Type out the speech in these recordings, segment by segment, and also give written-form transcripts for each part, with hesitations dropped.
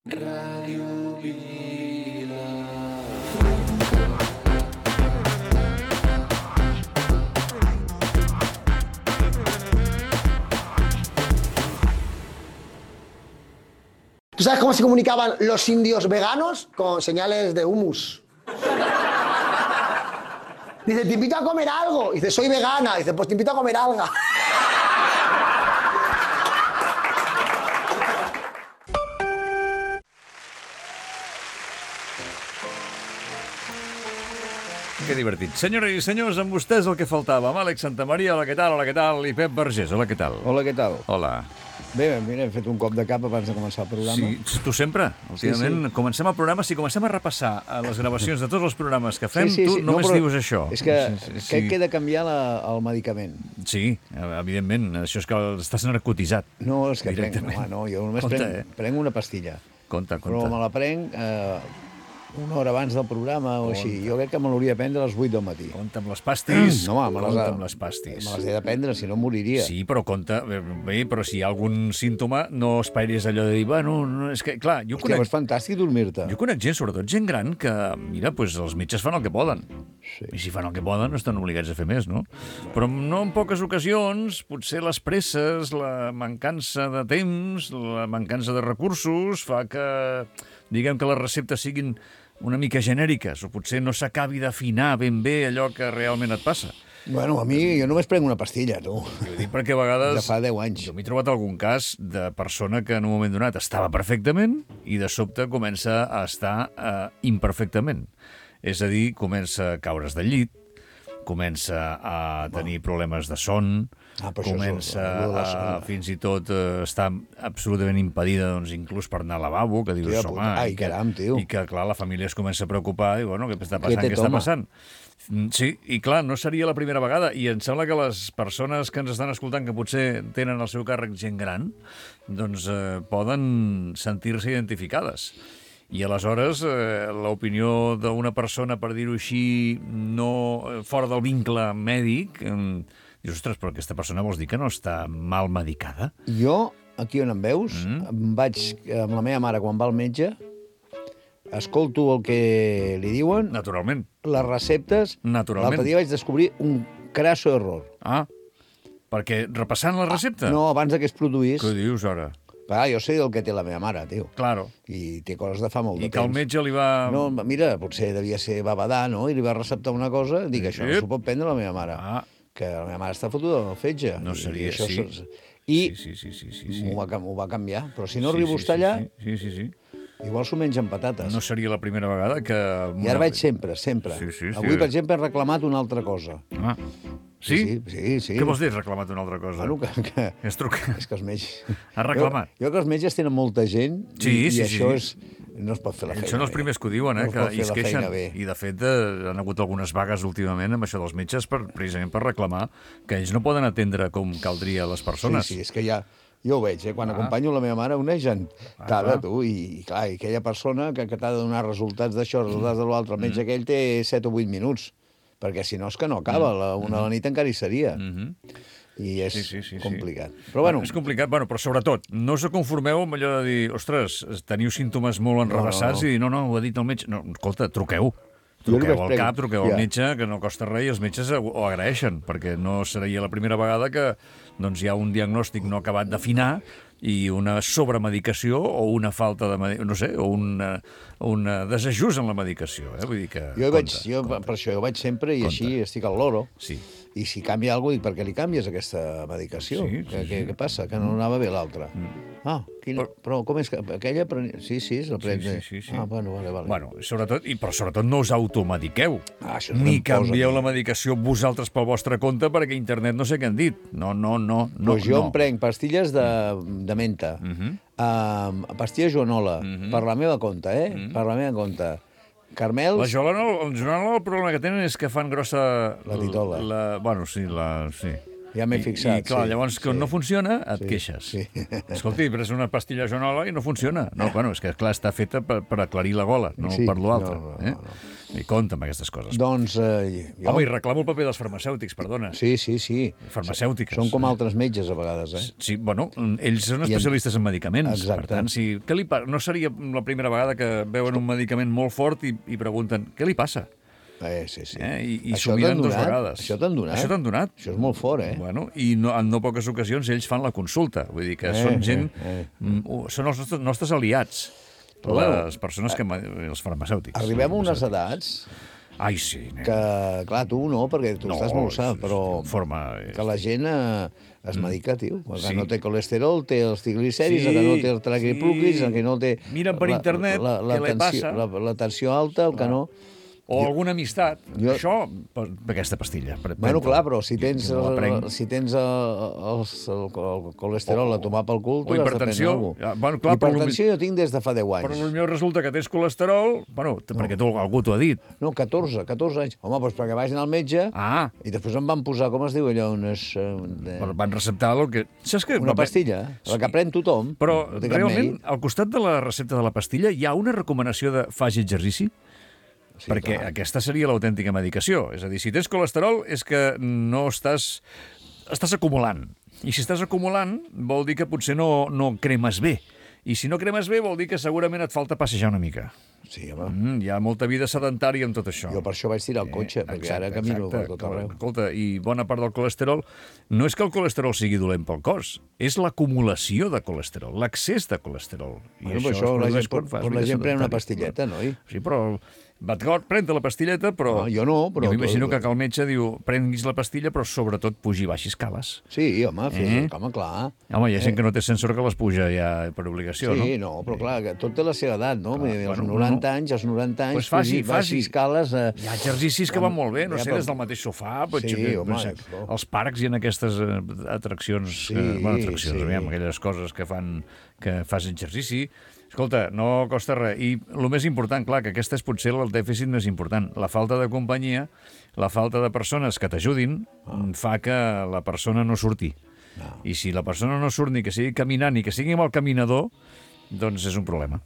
Ràdio Vila. ¿Tú sabes cómo se comunicaban los indios veganos? Con señales de humus. Dice, te invito a comer algo. Dice, soy vegana. Dice, pues te invito a comer alga. Que divertit. Senyores i senyors, amb vostès el que faltava. Amb Àlex Santamaria, hola, què tal? Hola, què tal? I Pep Vergés, hola, què tal? Hola, què tal? Hola. Bé, mira, hem fet un cop de cap abans de començar el programa. Sí, tu sempre. Últimament, comencem el programa, si comencem a repassar les gravacions de tots els programes que fem, tu només dius això. És que queda canviar el medicament. Sí, evidentment. Això és que estàs narcotitzat. No, és que prenc, no, jo només prenc una pastilla. Compte. Però me la prenc una hora abans del programa o així. Jo crec que me l'hauria de prendre a les 8 del matí. Compte amb les pastis. No, home, compte amb les pastis. Me les he de prendre, si no moriria. Sí, però compte, bé, però si hi ha algun símptoma, no esperis allò de dir, bueno, no, és que, clar, jo conec... Hòstia, és fantàstic dormir-te. Jo conec gent, sobretot gent gran, que, mira, doncs els metges fan el que poden. Sí. I si fan el que poden, no estan obligats a fer més, no? Però no en poques ocasions, potser les presses, la mancança de temps, la mancança de recursos, fa que, diguem que les receptes siguin una mica genèriques, o potser no s'acabi d'afinar ben bé allò que realment et passa. Bueno, a mi, jo només prenc una pastilla, tu. Jo dic perquè a vegades... Ja fa 10 anys. Jo m'he trobat algun cas de persona que en un moment donat estava perfectament i de sobte comença a estar imperfectament. És a dir, comença a caure's del llit, comença a tenir problemes de son, comença a fins i tot estar absolutament impedida, doncs, inclús per anar al lavabo, que dius, home, ai, caram, tio. I que, clar, la família es comença a preocupar i, bueno, què està passant, què està passant? Sí, i clar, no seria la primera vegada, i em sembla que les persones que ens estan escoltant, que potser tenen al seu càrrec gent gran, doncs poden sentir-se identificades. I aleshores l'opinió d'una persona, per dir-ho així, no fora del vincle mèdic, dius, ostres, però aquesta persona vols dir que no està mal medicada? Jo, aquí on em veus, vaig amb la meva mare quan va al metge, escolto el que li diuen... Naturalment. Les receptes... Naturalment. L'altre dia vaig descobrir un crasso error. Ah, perquè repassant la recepta? No, abans que es produís... Què dius, ara? Clar, jo sé el que té la meva mare, tio. Claro. I té coses de fa molt de temps. I que el metge li va... No, mira, potser devia ser babadà, no? I li va receptar una cosa, dic, això no s'ho pot prendre la meva mare. Ah. Que la meva mare està fotuda en el fetge. No seria així. I sí. Ho va canviar. Però si no arribo a estar allà... Sí. Igual s'ho menja amb patates. No seria la primera vegada que... I ara vaig sempre. Sí. Avui, per exemple, he reclamat una altra cosa. Ah, sí? Sí. Què vols dir, reclamat una altra cosa? Bueno, que... És trucar. És que els metges... Has reclamat? Jo que els metges tenen molta gent i això és... No es pot fer la feina bé. Són els primers que ho diuen, que es queixen. I, de fet, han hagut algunes vagues últimament amb això dels metges precisament per reclamar que ells no poden atendre com caldria les persones. Sí, és que ja... Jo ho veig, quan acompanyo la meva mare, una gentada, tu, i clar, i aquella persona que t'ha de donar resultats d'això, resultats de l'altre, el metge aquell té 7 o 8 minuts, perquè si no és que no acaba, una de la nit encara hi seria. I és complicat. Però bueno... És complicat, però sobretot, no us conformeu amb allò de dir, ostres, teniu símptomes molt enrevessats i dir, no, ho ha dit el metge. No, escolta, truqueu al cap, truqueu al metge, que no costa res, i els metges ho agraeixen, perquè no seria la primera vegada que hi ha un diagnòstic no acabat d'afinar i una sobremedicació o una falta de... no sé, o un desajust en la medicació. Vull dir que... Per això jo vaig sempre i així estic al loro. Sí. I si canvia alguna cosa, dic, per què li canvies aquesta medicació? Què passa? Que no anava bé l'altra? Però com és que aquella... Sí, la pren. Sí. Bueno, vale. Bueno, però sobretot no us automediqueu. Ni no canvieu la medicació vosaltres pel vostre compte perquè internet no sé què han dit. No. Doncs jo em prenc pastilles de menta, pastilles joanola, per la meva compte, per la meva compte. Carmels... La joanola, el problema que tenen és que fan grossa... La titola. Sí. Ja m'he fixat. I clar, llavors, quan no funciona, et queixes. Sí. Escolti, pres una pastilla joanola i no funciona. No, és que, clar, està feta per aclarir la gola, no per l'altre. No. I compta amb aquestes coses. Doncs... jo... Home, i reclamo el paper dels farmacèutics, perdona. Sí. Farmacèutiques. Són com altres metges, a vegades, Sí, bueno, ells són especialistes en medicaments. Exacte. Per tant, no seria la primera vegada que veuen un medicament molt fort i pregunten què li passa? Sí. I s'ho miren 2 vegades. Això t'han donat? Això t'han donat. Això és molt fort, Bueno, i en no poques ocasions ells fan la consulta. Vull dir que són gent... Són els nostres aliats. Les persones els farmacèutics. Arribem a unes edats... Ai, sí. Que, clar, tu no, perquè tu estàs molt sa, però que la gent es medica, tio. El que no té colesterol, té els triglicèrids, el que no té el triglicèrids, el que no té... Miren per internet què li passa. La tensió alta, el que no... O alguna amistat. Això, aquesta pastilla. Bueno, clar, però si tens el colesterol a tomar pel cul, o hipertensió. Hipertensió jo tinc des de fa 10 anys. Però potser resulta que tens colesterol, perquè algú t'ho ha dit. No, 14 anys. Home, doncs perquè vaig anar al metge i després em van posar, com es diu allò, van receptar una pastilla, la que pren tothom. Però realment, al costat de la recepta de la pastilla hi ha una recomanació de faci exercici? Sí, perquè aquesta seria l'autèntica medicació. És a dir, si tens colesterol és que no estàs acumulant. I si estàs acumulant vol dir que potser no cremes bé. I si no cremes bé vol dir que segurament et falta passejar una mica. Sí, home. Hi ha molta vida sedentària amb tot això. Jo per això vaig tirar el cotxe, perquè ara camino per tot arreu. Escolta, i bona part del colesterol no és que el colesterol sigui dolent pel cos, és l'acumulació de colesterol, l'excés de colesterol. I això la gent pren una pastilleta, noi? Sí, però... D'acord, pren-te la pastilleta, però... No, jo no, però... Jo m'imagino que el metge diu, prenguis la pastilla, però sobretot pugi i baixi escales. Sí, home, home, clar. Home, hi ha gent que no té sensor que les puja ja per obligació, no? Sí, no, però clar, que tot té la seva edat, no? Als 90 anys, pues faci escales... Hi ha exercicis que van molt bé, no sé, des del mateix sofà, als parcs hi ha aquestes atraccions, aquelles coses que fas exercici. Escolta, no costa res. I el més important, clar, que aquest és potser el dèficit més important. La falta de companyia, la falta de persones que t'ajudin, fa que la persona no surti. I si la persona no surt ni que sigui caminant ni que sigui amb el caminador, doncs és un problema.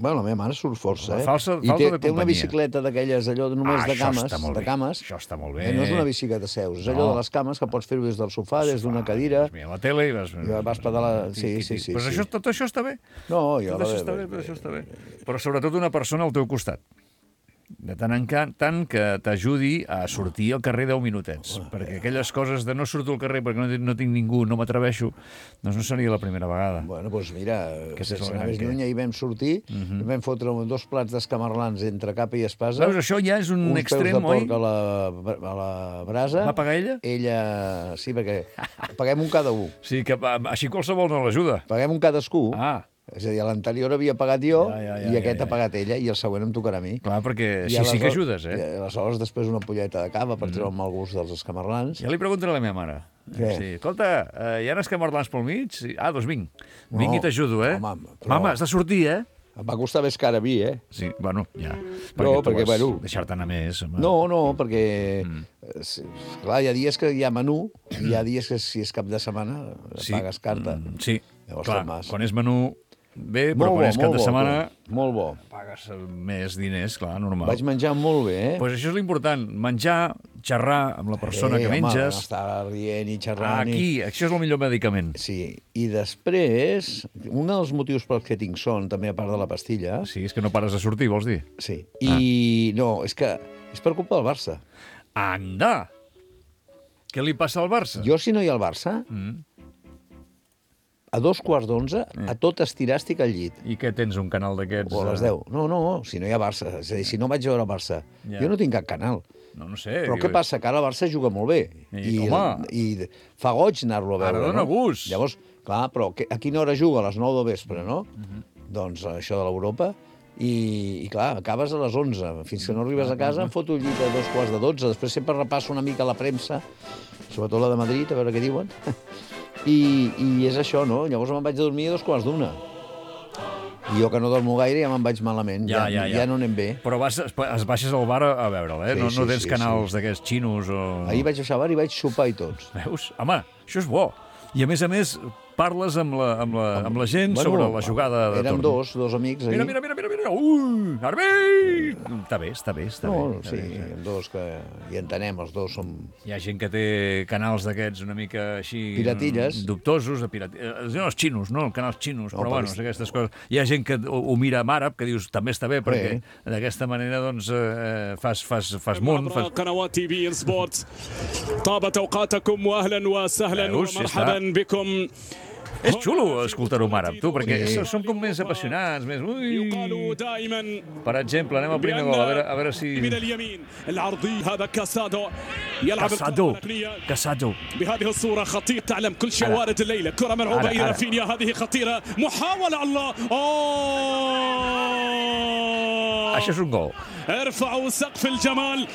La meva mare surt força, I té una bicicleta d'aquelles, allò només de cames. Això està molt bé. No és una bicicleta seus, és allò de les cames que pots fer-ho des del sofà, des d'una cadira. Mira la tele i vas pedalar... Sí. Però tot això està bé. No, tot això està bé. Però sobretot una persona al teu costat. De tant en tant que t'ajudi a sortir al carrer 10 minutets. Perquè aquelles coses de no surto al carrer perquè no tinc ningú, no m'atreveixo, doncs no seria la primera vegada. Bueno, doncs mira, si anaves lluny ahir vam sortir, vam fotre 2 plats d'escamarlans entre capa i espasa. Veus, això ja és un extrem, oi? Uns peus de porc a la brasa. Va pagar ella? Ella, sí, perquè paguem un cada un. Sí, que així qualsevol no l'ajuda. Paguem un cadascú. És a dir, l'anterior havia pagat jo i aquest ha pagat ella i el següent em tocarà a mi. Clar, perquè sí que ajudes, I aleshores després una polleta de cava per treure el mal gust dels escamarlans. Ja li preguntaré a la meva mare. Sí. Escolta, hi ha escamarlans pel mig? Doncs vinc. Vinc i t'ajudo, Mama, has de sortir, Em va costar més car a mi, Sí, bueno, ja. Perquè deixar-te anar més. No, perquè... Clar, hi ha dies que hi ha menú, hi ha dies que si és cap de setmana pagues carta. Sí, clar, quan és menú... Bé, però quan és cap de setmana... Molt bo. Pagues més diners, clar, normal. Vaig menjar molt bé, Doncs això és l'important, menjar, xerrar amb la persona que menges... Home, estar rient i xerrant... Això és el millor medicament. Sí, i després, un dels motius pels que tinc son, també a part de la pastilla... Sí, és que no pares de sortir, vols dir? Sí, i no, és que és per culpa del Barça. Anda! Què li passa al Barça? Jo, si no hi ha el Barça... A 11:15, a tot estirar estic al llit. I què, tens un canal d'aquests? O a les 10. No, si no hi ha Barça. És a dir, si no vaig veure el Barça. Jo no tinc cap canal. No sé. Però què passa? Que ara el Barça juga molt bé. I fa goig anar-lo a veure. Ara dona gust. Llavors, clar, però a quina hora juga? A les 9 del vespre, no? Doncs això de l'Europa. I clar, acabes a les 11. Fins que no arribes a casa em foto el llit a 11:15. Després sempre repasso una mica la premsa, sobretot la de Madrid, a veure què diuen. I és això, no? Llavors me'n vaig a dormir a 2:15. I jo que no dormo gaire ja me'n vaig malament. Ja no anem bé. Però es baixes al bar a veure'l, No tens canals d'aquests xinos o... Ahir vaig baixar al bar i vaig sopar i tots. Veus? Home, això és bo. I a més, parles amb la gent sobre la jugada de torn. Érem dos amics. Mira. Ara bé! Està bé. No, sí, dos que hi entenem, els dos som... Hi ha gent que té canals d'aquests una mica així... Piratilles. Dubtosos, els xinos, no? Canals xinos, però bueno, aquestes coses. Hi ha gent que ho mira en àrab, que dius, també està bé, perquè d'aquesta manera, doncs, fas munt. قنوات تي في سبورتس طابت اوقاتكم واهلا وسهلا ومرحبا بكم. És xulo escoltar-ho en àrab, tu, perquè som com més apassionats, més... Per exemple, anem al primer gol, a veure si... Casado. بهذه الصورة خطير تعلم كل شيء وارد الليلة كرة ملعوبة إلى رافينيا هذه خطيرة محاولة الله Això és un gol. ارفعوا سقف الجمال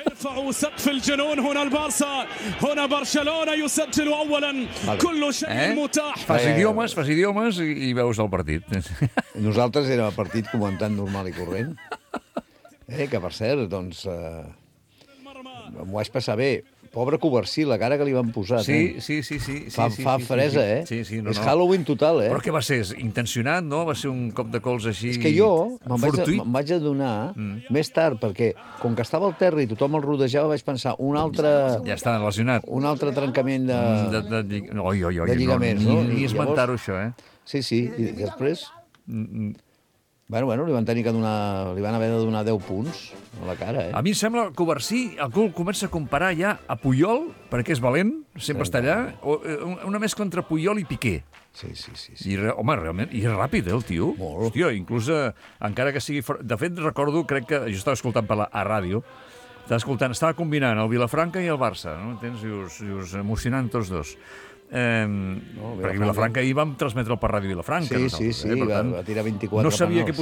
ارفعوا سقف الجنون هنا البارسا هنا برشلونة يسجل أولا كل شيء متاح. Fas idiomes i veus el partit. Nosaltres érem el partit comentant normal i corrent. Que per cert, doncs, m'ho vaig passar bé. Pobre Covarsí, la cara que li van posar. Sí. Fa fresa, eh? Sí, és Halloween total, eh? Però què va ser? Intencionat, no? Va ser un cop de cols així... És que jo me'n vaig adonar més tard, perquè com que estava al terra i tothom el rodejava, vaig pensar un altre... Ja està lesionat. Un altre trencament de lligaments, no? Ni esmentar-ho, això, eh? Sí, i després... Bueno, li van haver de donar 10 punts a la cara, eh? A mi em sembla que Covarsí, algú comença a comparar ja a Puyol, perquè és valent, sempre està allà, una mescla entre Puyol i Piqué. Sí. Home, realment, i és ràpid, el tio. Molt. Hòstia, inclús, encara que sigui... De fet, recordo, crec que... Jo estava escoltant a ràdio, estava combinant el Vilafranca i el Barça, no? Entens? I us emocionant tots dos. Perquè Vilafranca ahir vam transmetre'l per Ràdio Vilafranca. Sí, va tirar 24 no sabia què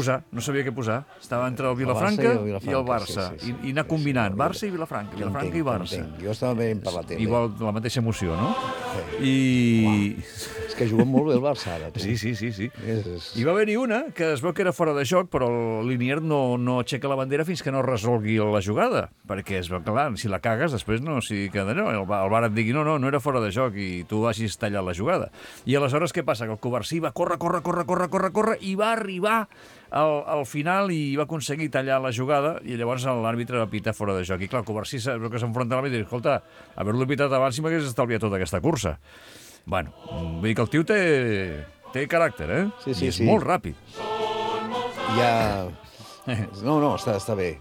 posar. Estava entre el Vilafranca i el Barça. I anar combinant Barça i Vilafranca, Vilafranca i Barça. Jo estava veient per la tele. Igual la mateixa emoció, no? És que juguen molt bé el Barça ara. Sí. Hi va haver-hi una que es veu que era fora de joc, però el Linier no aixeca la bandera fins que no resolgui la jugada, perquè es veu que, clar, si la cagues, després no, el VAR et digui no era fora de joc i tu hagis tallat la jugada. I aleshores què passa? Que el Covarsí va córrer i va arribar al final i va aconseguir tallar la jugada i llavors l'àrbitre va pitar fora de joc. I clar, el Covarsí que s'enfronta a l'àrbitre i diu, escolta, haver-lo pitat abans si m'hagués estalviat tota aquesta cursa. Bueno, vull dir que el tio té caràcter, eh? Sí. I és molt ràpid. No, està bé.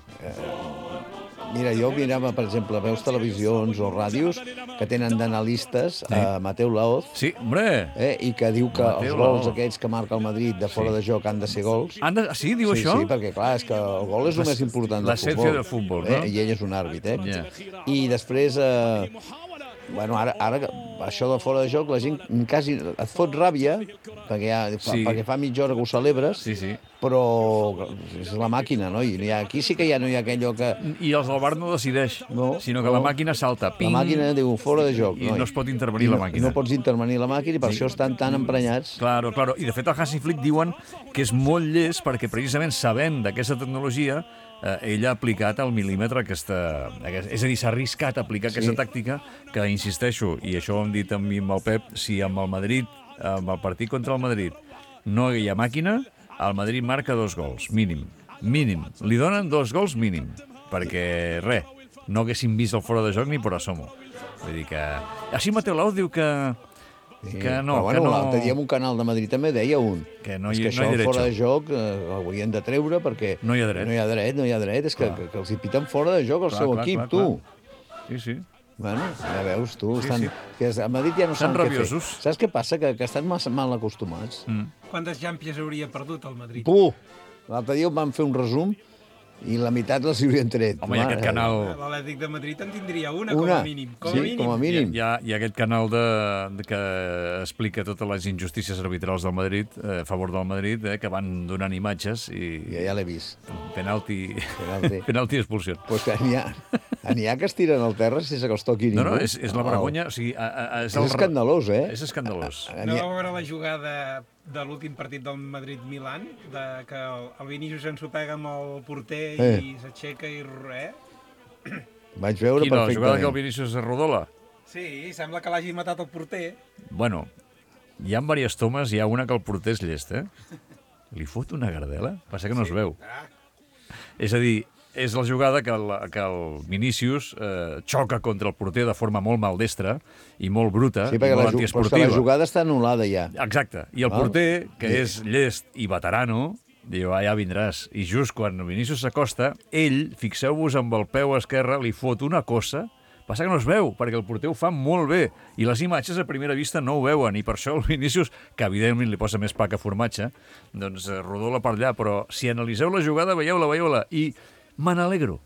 Mira, jo mirava, per exemple, veus televisions o ràdios que tenen d'analistes Mateu Laoz. Sí, hombre! I que diu que els gols aquests que marca el Madrid de fora de joc han de ser gols. Sí, diu això? Sí, perquè clar, és que el gol és el més important del futbol. L'essència del futbol, no? I ell és un àrbit, I després... Bueno, ara això de fora de joc, la gent quasi et fot ràbia, perquè fa mitja hora que ho celebres, però és la màquina, no? I aquí sí que ja no hi ha aquello que... I els del VAR no decideix, sinó que la màquina salta. La màquina diu fora de joc. I no es pot intervenir la màquina. No pots intervenir la màquina i per això estan tan emprenyats. Claro. I de fet el Hansi Flick diuen que és molt llest perquè precisament sabent d'aquesta tecnologia ell ha aplicat al mil·límetre és a dir, s'ha arriscat a aplicar aquesta tàctica que, insisteixo, i això ho hem dit amb el Pep, si amb el Madrid, amb el partit contra el Madrid no hi ha màquina, el Madrid marca 2 gols, mínim. Li donen 2 gols mínim, perquè no haguessin vist el fora de joc ni per asomo. Vull dir que... Així Mateu Laoz diu que no, però bueno, l'altre dia en un canal de Madrid també deia que això fora de joc l'haurien de treure perquè no hi ha dret. És que els hi piten fora de joc el seu equip, tu. Sí. Bueno, ja veus, tu. A Madrid ja no saben què fer. Saps què passa? Que estan massa mal acostumats. Quantes Champions hauria perdut el Madrid? L'altre dia van fer un resum i la meitat les hi haurien tret. Home, hi ha aquest canal... L'Atlètic de Madrid en tindria una, com a mínim. Com a mínim. Hi ha aquest canal que explica totes les injustícies arbitrals del Madrid, a favor del Madrid, que van donant imatges i... Ja l'he vist. Penalti i expulsió. Pues que n'hi ha que es tiren al terra sense que els toqui ningú. No, és la vergonya... És escandalós, eh? És escandalós. No vau veure la jugada de l'últim partit del Madrid-Milan, que el Vinícius s'ensopega amb el porter i s'aixeca i Vaig veure perfectament. La jugada que el Vinícius es rodola? Sí, sembla que l'hagi matat el porter. Bueno, hi ha diverses tomes, hi ha una que el porter és llest, Li fot una gardela? Passa que no es veu. És a dir, és la jugada que el Vinícius xoca contra el porter de forma molt maldestra i molt bruta, Sí, i molt perquè antiesportiva. la jugada està anul·lada ja. Exacte. I el porter, que és llest i veterano, diu, ja vindràs. I just quan el Vinícius s'acosta, ell, fixeu-vos amb el peu esquerre, li fot una cosa. Passa que no es veu, perquè el porter ho fa molt bé, i les imatges a primera vista no ho veuen, i per això el Vinícius, que evidentment li posa més pa que formatge, doncs rodola per allà, però si analiseu la jugada, veieu-la, i me n'alegro.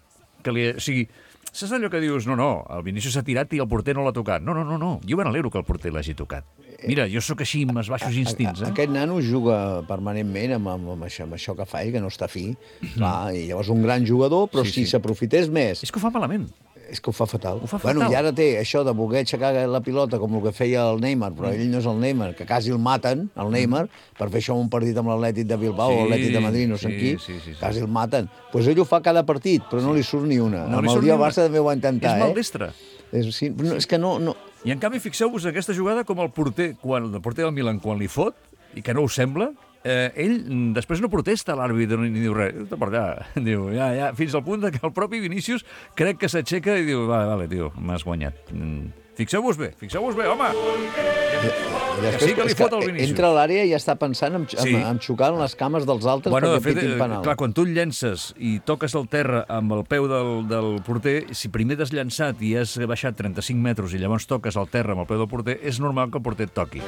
O sigui, saps allò que dius, no, el Vinícius s'ha tirat i el porter no l'ha tocat. No, jo me n'alegro que el porter l'hagi tocat. Mira, jo sóc així amb els baixos instints, Aquest nano juga permanentment amb això que fa ell, que no està fi. Clar, i llavors un gran jugador, però si s'aprofités més... És que ho fa malament. És que ho fa fatal. Ho fa fatal. Bueno, i ara té això de voler aixecar la pilota com el que feia el Neymar, però ell no és el Neymar, que quasi el maten, el Neymar, per fer això un partit amb l'Atlètic de Bilbao o l'Atlètic de Madrid, no sé qui, quasi el maten. Doncs ell ho fa cada partit, però no li surt ni una. Amb el dia Barça també ho va intentar, És maldestre. És que no... I en canvi, fixeu-vos aquesta jugada com el porter del Milan, quan li fot, i que no ho sembla, ell després no protesta l'àrbitre ni diu res, està per allà, diu, ja, fins al punt que el propi Vinícius crec que s'aixeca i diu, vale, tio, m'has guanyat. Fixeu-vos bé, home! Que sí que li fot el Vinícius. Entra a l'àrea i ja està pensant en xocar en les cames dels altres perquè pitin penal. Clar, quan tu el llences i toques el terra amb el peu del porter, si primer t'has llançat i has baixat 35 metres i llavors toques el terra amb el peu del porter, és normal que el porter et toqui.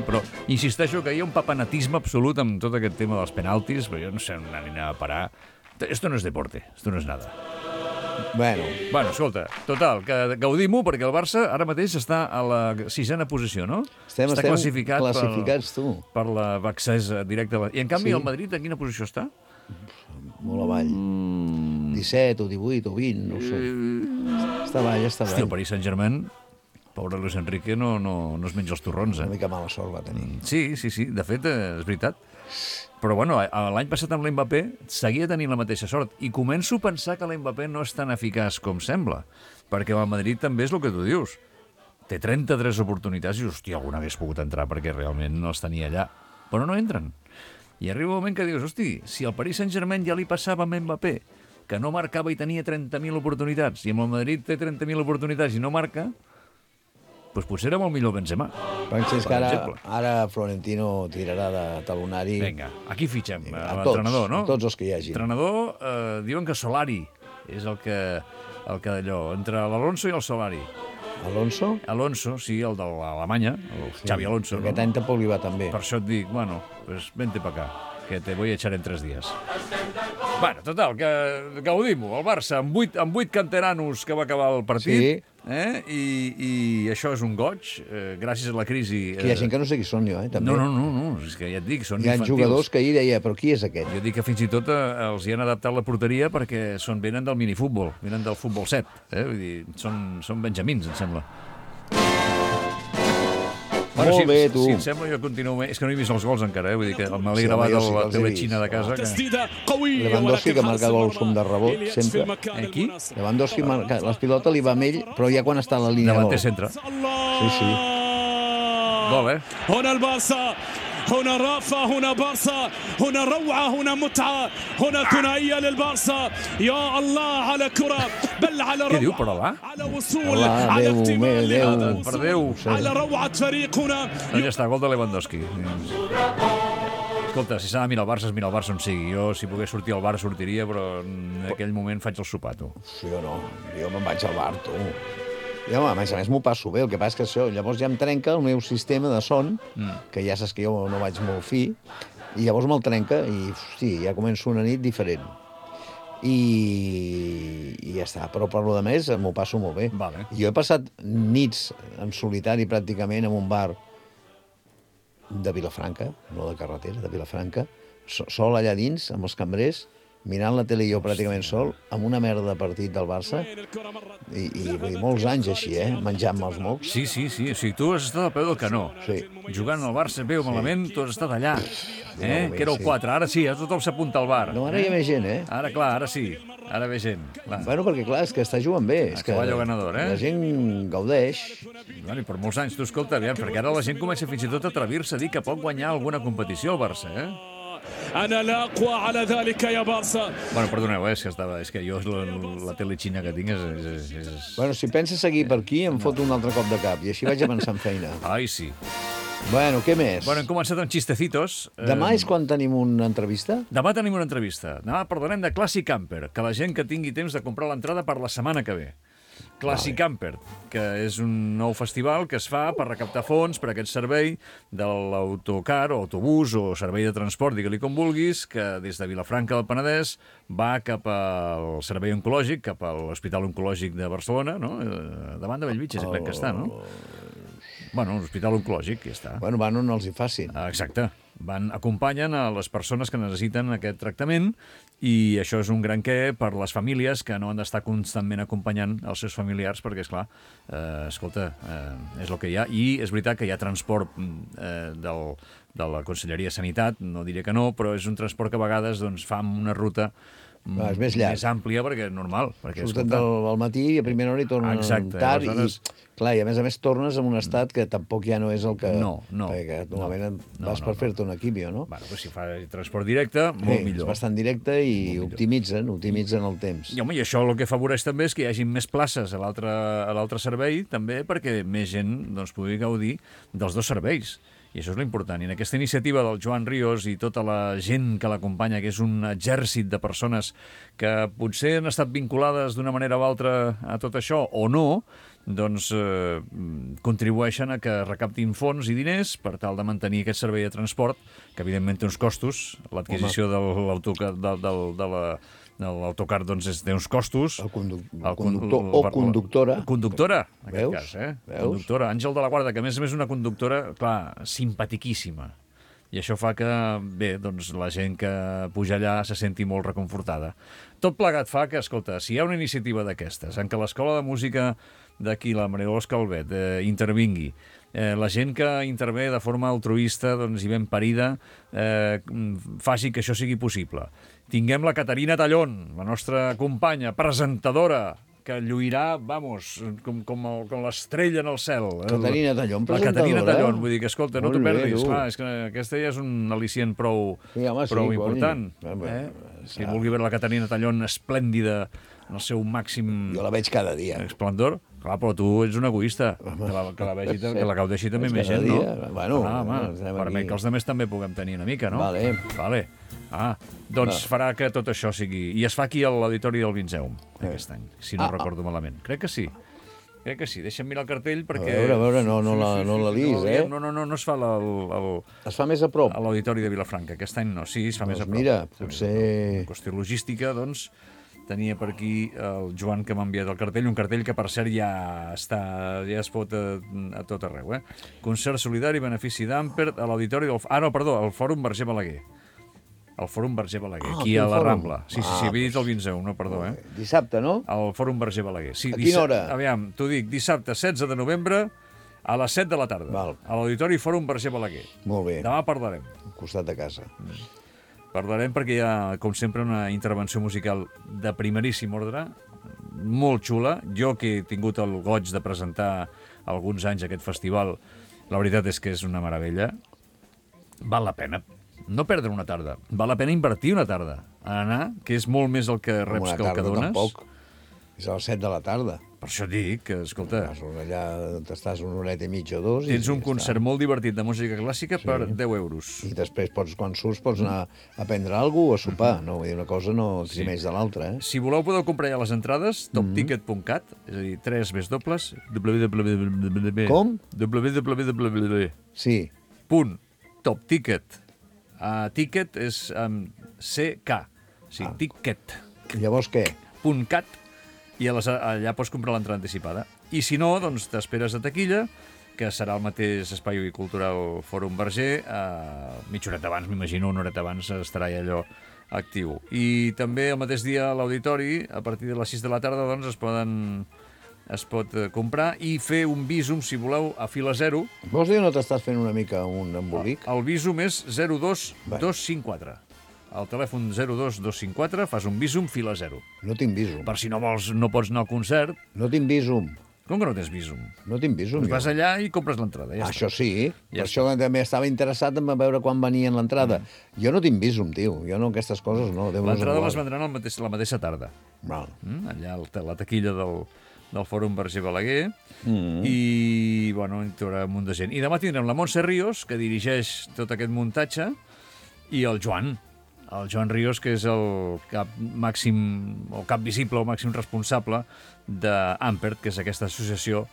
Però insisteixo que hi ha un papanatisme absolut amb tot aquest tema dels penaltis, però jo no sé on anirà a parar. Esto no es deporte, esto no es nada. Bueno, escolta, total, que gaudim-ho perquè el Barça ara mateix està a la 6a posició, no? Estem classificats, tu. Per l'accés directe. I en canvi el Madrid en quina posició està? Molt avall. 17 o 18 o 20, no ho sé. Està avall. Hosti, el Paris Saint-Germain, pobre Luis Enrique, no es menja els torrons, Una mica mala sort va tenir. Sí, de fet, és veritat. Però bueno, l'any passat amb l'Mbappé seguia tenint la mateixa sort i començo a pensar que l'Mbappé no és tan eficaç com sembla, perquè el Madrid també és el que tu dius. Té 33 oportunitats i, hòstia, alguna hagués pogut entrar perquè realment no els tenia allà. Però no entren. I arriba un moment que dius, hosti, si al Paris Saint-Germain ja li passava amb Mbappé, que no marcava i tenia 30.000 oportunitats, i amb el Madrid té 30.000 oportunitats i no marca, doncs potser era molt millor Benzema. Penses que ara Florentino tirarà de talonari... Vinga, aquí fitxem l'entrenador, no? A tots els que hi hagi. L'entrenador, diuen que Solari és el que d'allò, entre l'Alonso i el Solari. Alonso? Alonso, sí, el de l'Alemanya, el Xavi Alonso. Aquest any tampoc li va tan bé. Per això et dic, bueno, pues vente pa acá, que te voy a echar en 3 días. Bueno, total, que gaudim-ho. El Barça, amb 8 canteranos que va acabar el partit, i això és un goig, gràcies a la crisi... Que hi ha gent que no sé qui són jo, també. No, és que ja et dic, són infantils. Hi ha jugadors que ahir deia, però qui és aquest? Jo dic que fins i tot els hi han adaptat la porteria perquè venen del minifútbol, venen del futbol 7, vull dir, són benjamins, em sembla. Bueno, Molt bé, tu. Si et sembla, jo continuo... És que no he vist els gols encara, vull dir que me l'he gravat a la tele xina de casa. Lewandowski, que marca gols com de rebot, sempre. Qui? Lewandowski marca les pilotes, li va amb ell, però ja quan està a la línia de gol. Davanter centre. Sí. Gol, هنا البارسا هنا رافة هنا بارسا هنا روعة هنا متعة هنا ثنائية للبارسا يا الله على كرة بل على روعة على وصول على اكتمال على روعة فريق هنا. Ja està, gol de Lewandowski. Escolta, si s'ha de mirar el Barça, es mira el Barça on sigui. Jo, si pogués sortir al bar, sortiria, però en aquell moment faig el sopar, tu. Jo no, jo me'n vaig al bar, tu. Jo, a més m'ho passo bé, el que passa és que això, llavors ja em trenca el meu sistema de son, que ja saps que jo no vaig molt fi, i llavors me'l trenca i, hosti, ja començo una nit diferent. I ja està, però per lo de més m'ho passo molt bé. Vale. Jo he passat nits en solitari pràcticament en un bar de Vilafranca, no de carretera, de Vilafranca, sol allà dins, amb els cambrers, mirant la tele jo pràcticament sol, amb una merda de partit del Barça, i vull dir, molts anys així, menjant-me els mocs. Sí. O sigui, tu has estat al peu del canó. Sí. Jugant al Barça bé o malament, tu has estat allà. bé, Que era el 4. Ara sí, tothom s'apunta al bar. No, ara hi ha més gent, Ara, clar, ara sí. Ara ve gent. Clar. Bueno, perquè, clar, és que està jugant bé. És que caballo ganador, la gent gaudeix. Bueno, i per molts anys, tu escolta, aviam, perquè ara la gent comença fins i tot a atrevir-se a dir que pot guanyar alguna competició al Barça, أنا لا أقوى على ذلك يا بارسا. Bueno, perdoneu, és que jo la tele xina que tinc és... Bueno, si penses seguir per aquí, em foto un altre cop de cap, i així vaig avançant feina. Ai, sí. Bueno, què més? Bueno, hem començat amb xistecitos. Demà és quan tenim una entrevista? Demà tenim una entrevista. Demà parlarem de Classic Camper, que la gent que tingui temps de comprar l'entrada per la setmana que ve. Classic Camper, que és un nou festival que es fa per recaptar fons per aquest servei de l'autocar o autobús o servei de transport, digue-li com vulguis, que des de Vilafranca del Penedès va cap al servei oncològic, cap a l'Hospital Oncològic de Barcelona, no? Davant de Bellvitge, crec que està, no? Bueno, l'Hospital Oncològic, ja està. Bueno, van on els hi facin. Exacte. Acompanyen a les persones que necessiten aquest tractament i això és un gran què per les famílies que no han d'estar constantment acompanyant els seus familiars perquè, esclar, escolta, és el que hi ha. I és veritat que hi ha transport de la Conselleria de Sanitat, no diré que no, però és un transport que a vegades doncs, fa una ruta és més llarg. Més àmplia perquè és normal. Perquè, surten del matí i a primera hora hi tornen tard. Aleshores... I a més tornes en un estat que tampoc ja no és el que... No. Perquè normalment vas per fer-te una quimio, no? Bueno, però si fa transport directe, molt millor. És bastant directe i optimitzen el temps. I, home, i això el que afavoreix també és que hi hagi més places a l'altre servei, també perquè més gent doncs, pugui gaudir dels dos serveis. I això és l'important. I en aquesta iniciativa del Joan Ríos i tota la gent que l'acompanya, que és un exèrcit de persones que potser han estat vinculades d'una manera o altra a tot això, o no, doncs contribueixen a que recaptin fons i diners per tal de mantenir aquest servei de transport, que evidentment té uns costos. L'adquisició de l'autocar doncs, té uns costos. El conductor o conductora. Conductora, en aquest Veus? cas. Conductora. Àngel de la Guarda, que a més una conductora, clar, simpatiquíssima. I això fa que, bé, doncs la gent que puja allà se senti molt reconfortada. Tot plegat fa que, escolta, si hi ha una iniciativa d'aquestes, en què l'Escola de Música d'aquí, la Maria Dolors Calvet, intervingui, la gent que intervé de forma altruista doncs, i ben parida faci que això sigui possible. Tinguem la Caterina Tallón, la nostra companya, presentadora, que lluirà, vamos, com l'estrella en el cel. Caterina Tallón, presentadora. La Caterina Tallón, vull dir que, escolta, no t'ho perdis. Clar, és que aquesta ja és un al·licient prou important. Si vulgui veure la Caterina Tallón esplèndida, en el seu màxim... Jo la veig cada dia. Esplendor. Clar, però tu ets un egoista. Que la gaudeixi també més gent, no? Bueno, permet que els altres també puguem tenir una mica, no? Vale. Doncs farà que tot això sigui... I es fa aquí a l'Auditori del Vinceum, aquest any, si no recordo malament. Crec que sí. Deixa'm mirar el cartell perquè... A veure, no la lis, No es fa es fa més a prop. a l'Auditori de Vilafranca. Aquest any no, sí, es fa més a prop. Mira, potser... En qüestió logística, doncs, tenia per aquí el Joan que m'ha enviat el cartell, un cartell que per cert ja es pot a tot arreu. Concert solidari, benefici d'Amper, a l'Auditori del... al Fòrum Verger Balaguer. El Fòrum Verger Balaguer, aquí a la Rambla. Sí, havia dit el Vinceum, no, perdó. Dissabte, no? Al Fòrum Verger Balaguer. Sí, a quina hora? Aviam, t'ho dic, dissabte 16 de novembre a les 7 de la tarda. A l'Auditori Fòrum Verger Balaguer. Molt bé. Demà parlarem. Al costat de casa. Parlarem perquè hi ha, com sempre, una intervenció musical de primeríssim ordre, molt xula. Jo, que he tingut el goig de presentar alguns anys aquest festival, la veritat és que és una meravella. Val la pena no perdre una tarda. Val la pena invertir una tarda a anar, que és molt més el que reps que el que dones. Tampoc. És a les 7 de la tarda. Per això dic que, escolta... Allà t'estàs una horeta i mitja o dos... Tens un concert molt divertit de música clàssica per 10 euros. I després, quan surts, pots anar a prendre alguna cosa o a sopar. No, vull dir, una cosa no eximeix de l'altra. Si voleu, podeu comprar ja les entrades, topticket.cat, és a dir, 3 www... Com? www. Sí. .topticket. Ticket és CK. Sí, ticket. I llavors què? .cat, i allà pots comprar l'entrada anticipada. I si no, doncs t'esperes a taquilla, que serà el mateix Espai Cultural Fòrum Verger. Mitja horeta abans, m'imagino, una horeta abans estarà allò actiu. I també el mateix dia a l'auditori, a partir de les 6 de la tarda, doncs, es pot comprar i fer un Bizum, si voleu, a fila 0. Vols dir o no t'estàs fent una mica un embolic? El Bizum és 02254. Al telèfon 02254 fas un Bizum fila 0. No tinc Bizum. Per si no pots anar al concert. No tinc Bizum. Com que no tens Bizum? No tinc Bizum. Doncs vas allà i compres l'entrada. Ja Això està. sí, per això també estava interessat en veure quan venien l'entrada. Jo no tinc Bizum, tio. Jo no, aquestes coses no. L'entrada les vendran la mateixa tarda. Val. Allà a la taquilla del Fòrum Verger Balaguer. I, bueno, hi haurà un munt de gent. I demà tindrem la Montse Ríos, que dirigeix tot aquest muntatge, i el Joan Ríos, que és el cap visible o màxim responsable d'Ampert, que és aquesta associació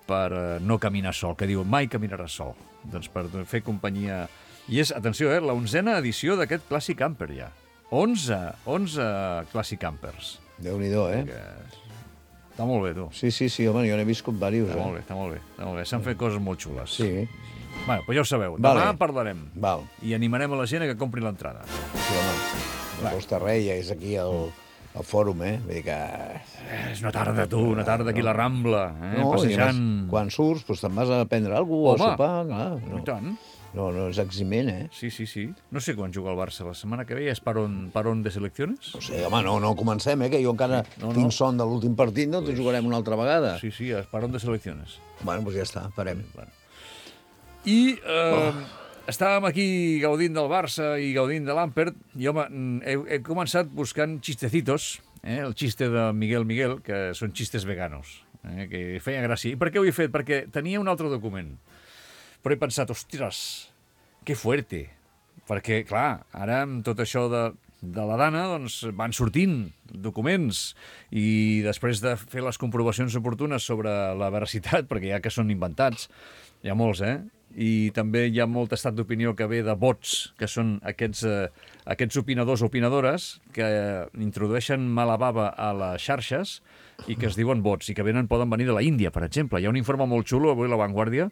per no caminar sol, que diu mai caminaràs sol. Doncs per fer companyia. I és, atenció, la 11a edició d'aquest Clàssic Camper ja. 11 Clàssic Campers. Déu-n'hi-do, Està molt bé, tu. Sí, home, jo n'he viscut diversos. Està molt bé. S'han fet coses molt xules. Sí. Bueno, doncs ja ho sabeu. Demà parlarem. Val. I animarem a la gent a que compri l'entrada. Sí, home. No costa res, ja és aquí al fòrum, Vull dir que... És una tarda, tu, una tarda aquí a la Rambla, no, passejant. Quan surts, doncs te'n vas a prendre alguna cosa, a sopar, clar. I tant. No és eximent, Sí. No sé quan juga el Barça. La setmana que ve és parón de selecciones? No sé, home, no comencem, que jo encara tinc son de l'últim partit, no? Pues... jugarem una altra vegada. Sí, és parón de selecciones. Bueno, doncs ja està, farem. I estàvem aquí gaudint del Barça i gaudint de l'Ampert, i, home, he començat buscant chistecitos, el xiste de Miguel, que són xistes veganos, que feia gràcia. I per què ho he fet? Perquè tenia un altre document. Però he pensat, ostres, que fuerte. Perquè, clar, ara amb tot això de la Dana doncs, van sortint documents i després de fer les comprovacions oportunes sobre la veracitat, perquè ja que són inventats, hi ha molts, i també hi ha molt estat d'opinió que ve de bots, que són aquests opinadors o opinadores que introdueixen mala bava a les xarxes i que es diuen bots, i que poden venir de la Índia, per exemple. Hi ha un informe molt xulo, avui a La Vanguardia,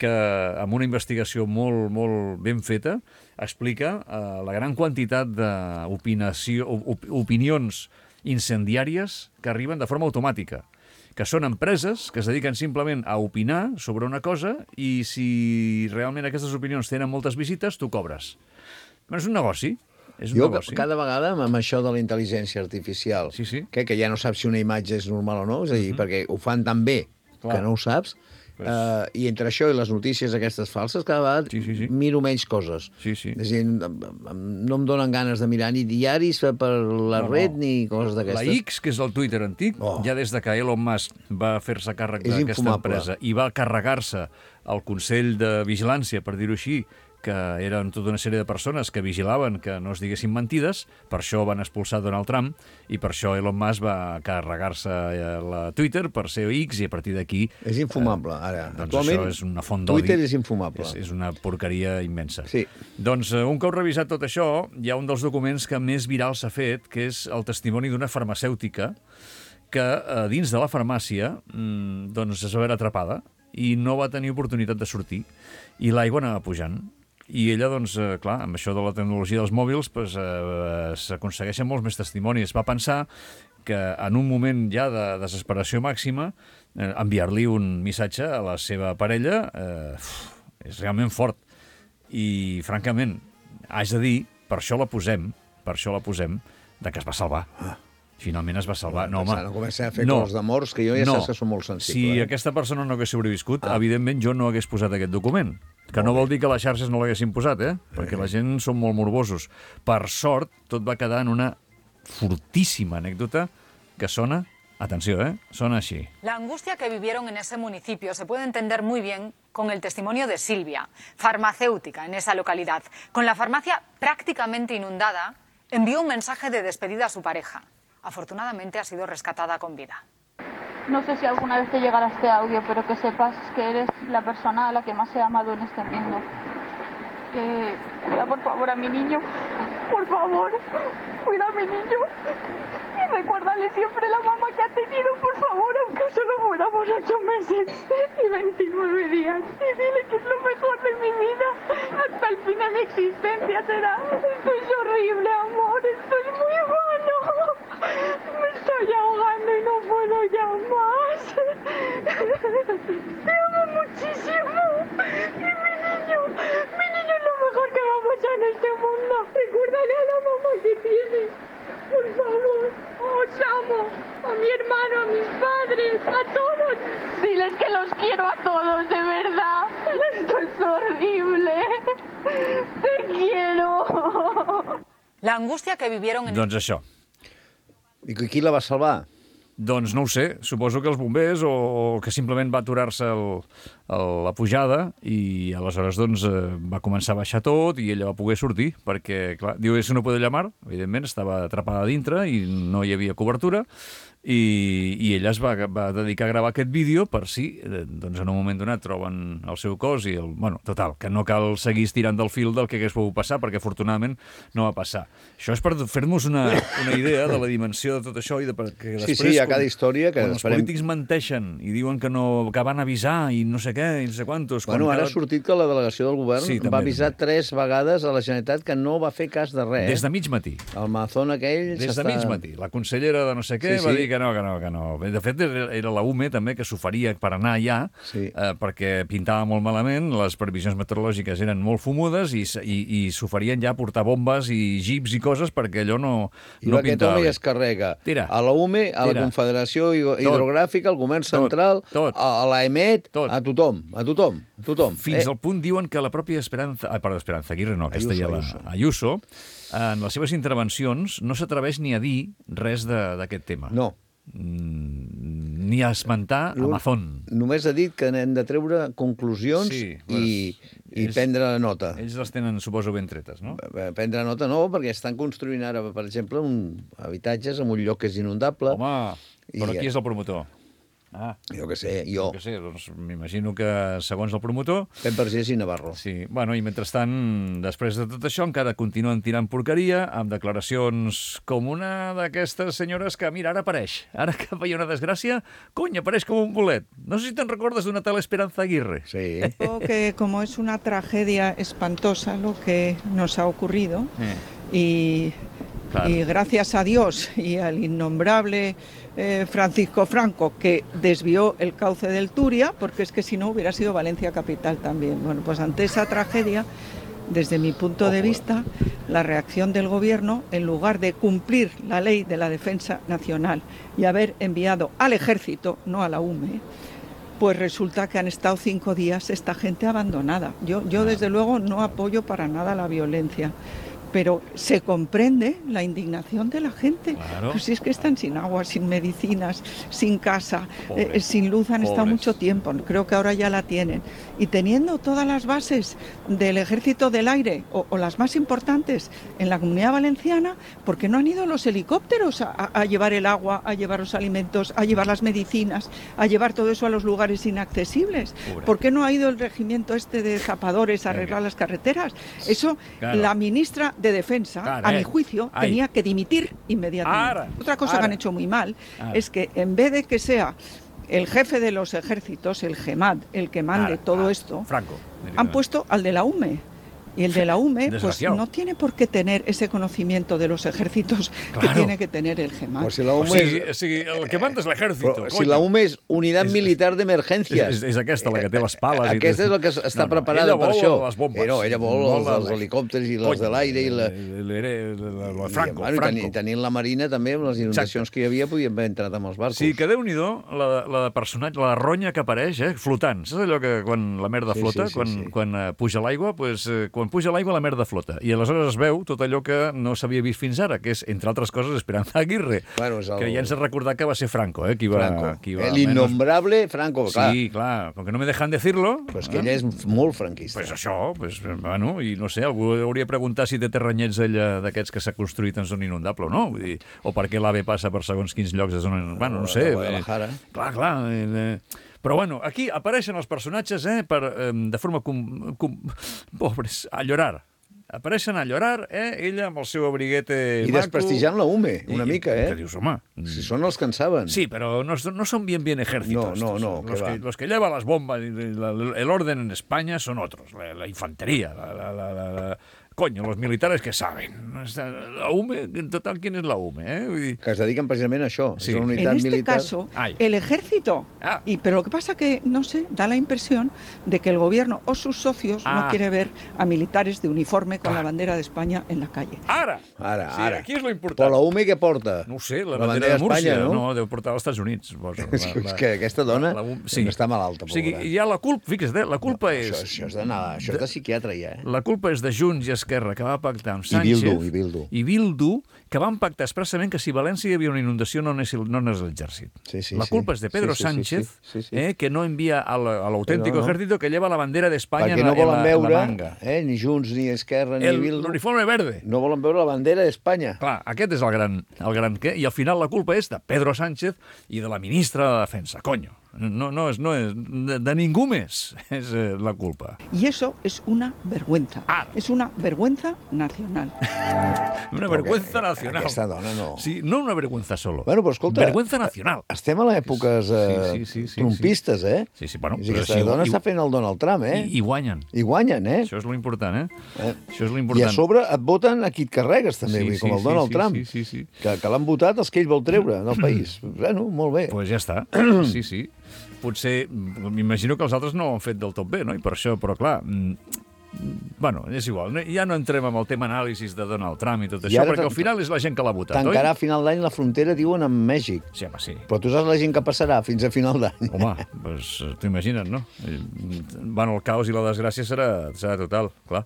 que amb una investigació molt, molt ben feta explica la gran quantitat d'opinions incendiàries que arriben de forma automàtica, que són empreses que es dediquen simplement a opinar sobre una cosa i si realment aquestes opinions tenen moltes visites, tu cobres. Però és un negoci. Cada vegada amb això de la intel·ligència artificial, que ja no saps si una imatge és normal o no, és a dir, perquè ho fan tan bé que no ho saps, i entre això i les notícies aquestes falses, cada vegada miro menys coses. És a dir, no em donen ganes de mirar ni diaris per la red ni coses d'aquestes. La X, que és el Twitter antic, ja des de que Elon Musk va fer-se càrrec d'aquesta empresa i va carregar-se el Consell de Vigilància, per dir-ho així, que eren tota una sèrie de persones que vigilaven que no es diguessin mentides, per això van expulsar Donald Trump i per això Elon Musk va carregar-se la Twitter per ser X i a partir d'aquí... És infumable, ara. Doncs això és una font d'odi. Twitter és infumable. És una porqueria immensa. Sí. Doncs un cop revisat tot això, hi ha un dels documents que més viral s'ha fet, que és el testimoni d'una farmacèutica que dins de la farmàcia doncs es va veure atrapada i no va tenir oportunitat de sortir i l'aigua anava pujant. I ella, doncs, clar, amb això de la tecnologia dels mòbils s'aconsegueixen molts més testimonis. Va pensar que en un moment ja de desesperació màxima enviar-li un missatge a la seva parella és realment fort. I, francament, haig de dir, per això la posem, de que es va salvar. Finalment es va salvar. No comença a fer coses de morts, que jo ja saps que són molt sensible. Si aquesta persona no hagués sobreviscut, evidentment jo no hagués posat aquest document. Que no vol dir que les xarxes no l'haguessin posat, perquè la gent són molt morbosos. Per sort, tot va quedar en una fortíssima anècdota que sona, atenció, sona así. La angustia que vivieron en ese municipio se puede entender muy bien con el testimonio de Silvia, farmacéutica en esa localidad. Con la farmacia prácticamente inundada, envió un mensaje de despedida a su pareja. Afortunadamente ha sido rescatada con vida. No sé si alguna vez te llegará este audio, pero que sepas que eres la persona a la que más he amado en este mundo. Cuida por favor a mi niño. Por favor, cuida a mi niño. Y recuérdale siempre la mamá que ha tenido, por favor, aunque solo fuéramos 8 meses y 29 días. Y dile que es lo mejor de mi vida. Hasta el fin de mi existencia será. Esto es horrible, amor. Esto es muy malo. Me estoy ahogando y no puedo ya más. Te amo muchísimo. Y mi niño es lo mejor que va a pasar en este mundo. Recuérdale a la mamá que tienes. Por favor, os amo. A mi hermano, a mis padres, a todos. Diles que los quiero a todos, de verdad. Esto es horrible. Te quiero. La angústia que vivieron en... Doncs això. I qui la va salvar? Doncs no ho sé, suposo que els bombers o que simplement va aturar-se la pujada i aleshores doncs, va començar a baixar tot i ella va poder sortir perquè, clar, diu, eso no puede llamar, evidentment, estava atrapada dintre i no hi havia cobertura i ella es va dedicar a gravar aquest vídeo per si, doncs en un moment donat troben el seu cos i, bueno, total, que no cal seguir estirant del fil del que hagués pogut passar perquè afortunadament no va passar. Això és per fer-nos una idea de la dimensió de tot això i de perquè després... Sí, hi ha cada història que... Quan els polítics menteixen i diuen que van avisar i no sé què, i no sé quantos... Bueno, ara ha sortit que la delegació del govern va avisar 3 vegades a la Generalitat que no va fer cas de res. Des de mig matí. El Mazón aquell... Des de mig matí. La consellera de no sé què va dir que no. De fet, era la UME també que s'oferia per anar allà perquè pintava molt malament, les previsions meteorològiques eren molt fumudes i s'oferien ja a portar bombes i jeeps i coses perquè allò no pintava. I aquest home ja es carrega a la UME, a la Confederació Hidrogràfica, al Govern Central, a l'AEMET, a tothom. Fins al punt diuen que la pròpia Esperanza Aguirre, no, aquesta ja Ayuso, en les seves intervencions no s'atreveix ni a dir res d'aquest tema. No. Ni a esmentar Amazon. Només ha dit que hem de treure conclusions i prendre nota. Ells les tenen, suposo, ben tretes, no? Prendre nota no, perquè estan construint ara, per exemple, habitatges en un lloc que és inundable. Home, però qui és el promotor? Jo què sé, jo. Doncs m'imagino que, segons el promotor... Pep Vergés i Navarro. Sí, bueno, i mentrestant, després de tot això, encara continuen tirant porqueria, amb declaracions com una d'aquestes senyores que, mira, ara apareix. Ara que feia una desgràcia, cony, apareix com un bolet. No sé si te'n recordes d'una tal Esperanza Aguirre. Sí. Que como es una tragedia espantosa lo que nos ha ocurrido, y gracias a Dios y al innombrable Francisco Franco, que desvió el cauce del Turia, porque es que si no hubiera sido Valencia capital también. Bueno, pues ante esa tragedia, desde mi punto de vista, la reacción del Gobierno, en lugar de cumplir la ley de la defensa nacional y haber enviado al Ejército, no a la UME, pues resulta que han estado 5 días esta gente abandonada. Yo desde luego no apoyo para nada la violencia, pero se comprende la indignación de la gente. Claro. Pues si es que están sin agua, sin medicinas, sin casa, sin luz, han estado mucho tiempo. Creo que ahora ya la tienen. Y teniendo todas las bases del Ejército del Aire, o las más importantes, en la Comunidad Valenciana, ¿por qué no han ido los helicópteros a llevar el agua, a llevar los alimentos, a llevar las medicinas, a llevar todo eso a los lugares inaccesibles? ¿Por qué no ha ido el regimiento este de zapadores a arreglar las carreteras? Eso, la ministra de Defensa, a mi juicio, tenía que dimitir inmediatamente. Otra cosa que han hecho muy mal es que en vez de que sea el jefe de los ejércitos, el GEMAD, el que mande todo esto, Franco, han puesto al de la UME. Y el de la UME pues no tiene por qué tener ese conocimiento de los ejércitos que tiene que tener el GEMAT. Pues si la UME el que manda és l'ejército. Si la UME és Unitat Militar d'Emergències. És aquesta, la que té les pales. Aquesta és la que està preparada per això. Les bombes. Ella vol els helicòpters i les de l'aire i Franco. Tenint la Marina també, amb les inundacions que hi havia, podien haver entrat amb els barcos. Sí, que Déu-n'hi-do, la personatge, la ronya que apareix, flotant. Saps allò que quan la merda flota, quan puja l'aigua, quan puja l'aigua la merda flota. I aleshores es veu tot allò que no s'havia vist fins ara, que és, entre altres coses, Esperanza Aguirre, que ja ens ha recordat que va ser Franco, qui va l'innombrable Franco, clar. Sí, clar, com que no me dejan decirlo... Pues que ella és molt franquista. Pues això, bueno, i no sé, algú hauria de preguntar si té terrenyets ella d'aquests que s'ha construït en zona inundable o no, vull dir, o per què l'AVE passa per segons quins llocs de zona... Bueno, no sé. Clar. Però, bueno, aquí apareixen els personatges de forma pobres, a llorar. apareixen a llorar, ella amb el seu abriguete I desprestigiant la UME, una mica, Que dius, home... Si són els que en saben. Sí, pero no son bien ejércitos. No, los que llevan las bombas, el orden en España son otros, la infantería, Coño, los militares que saben. La UME, en total, ¿quién es la UME? Que es dediquen precisament a això. Sí. És una unitat En este militar. caso, el ejército. Pero lo que pasa que, no sé, da la impresión de que el gobierno o sus socios no quiere ver a militares de uniforme con la bandera de España en la calle. Ara. Sí, aquí és lo important. Però la UME què porta? No ho sé, la bandera de Múrcia, no? Deu portar als Estats Units. És que aquesta dona està malalta. O sigui, hi ha la culpa, fixa't, la culpa és... Això és de psiquiatre, ja. La culpa és de Junts i Esquerra, que va pactar amb Sánchez... I Bildu, que van pactar expressament que si a València hi havia una inundació no anés l'exèrcit. La culpa és de Pedro Sánchez, que no envia al auténtico ejército que lleva la bandera d'Espanya en la manga. Ni Junts, ni Esquerra, ni Bildu... L'uniforme verde. No volen veure la bandera d'Espanya. Clar, aquest és el gran què. I al final la culpa és de Pedro Sánchez i de la ministra de Defensa. Coño. No és de ningú més és la culpa. Y eso es una vergüenza. Es una vergüenza nacional. Una vergüenza nacional. Aquesta dona no. Sí, no una vergüenza solo. Bueno, però escolta... Vergüenza nacional. Estem a l'èpoques trumpistes, Sí, bueno... Aquesta dona està fent el Donald Trump, I guanyen. I guanyen, Això és l'important, Això és l'important. I a sobre et voten a qui et carregues, també, com el Donald Trump. Sí. Que l'han votat els que ell vol treure del país. Bueno, molt bé. Pues ja està. Sí. Potser, m'imagino que els altres no ho han fet del tot bé, no? I per això, però clar... Bueno, és igual, ja no entrem amb el tema anàlisis de Donald Trump i tot això, perquè al final és la gent que l'ha votat, oi? Tancarà a final d'any la frontera, diuen, amb Mèxic. Sí, home, sí. Però tu saps la gent que passarà fins a final d'any. Home, doncs t'ho imagines, no? Bueno, el caos i la desgràcia serà total, clar.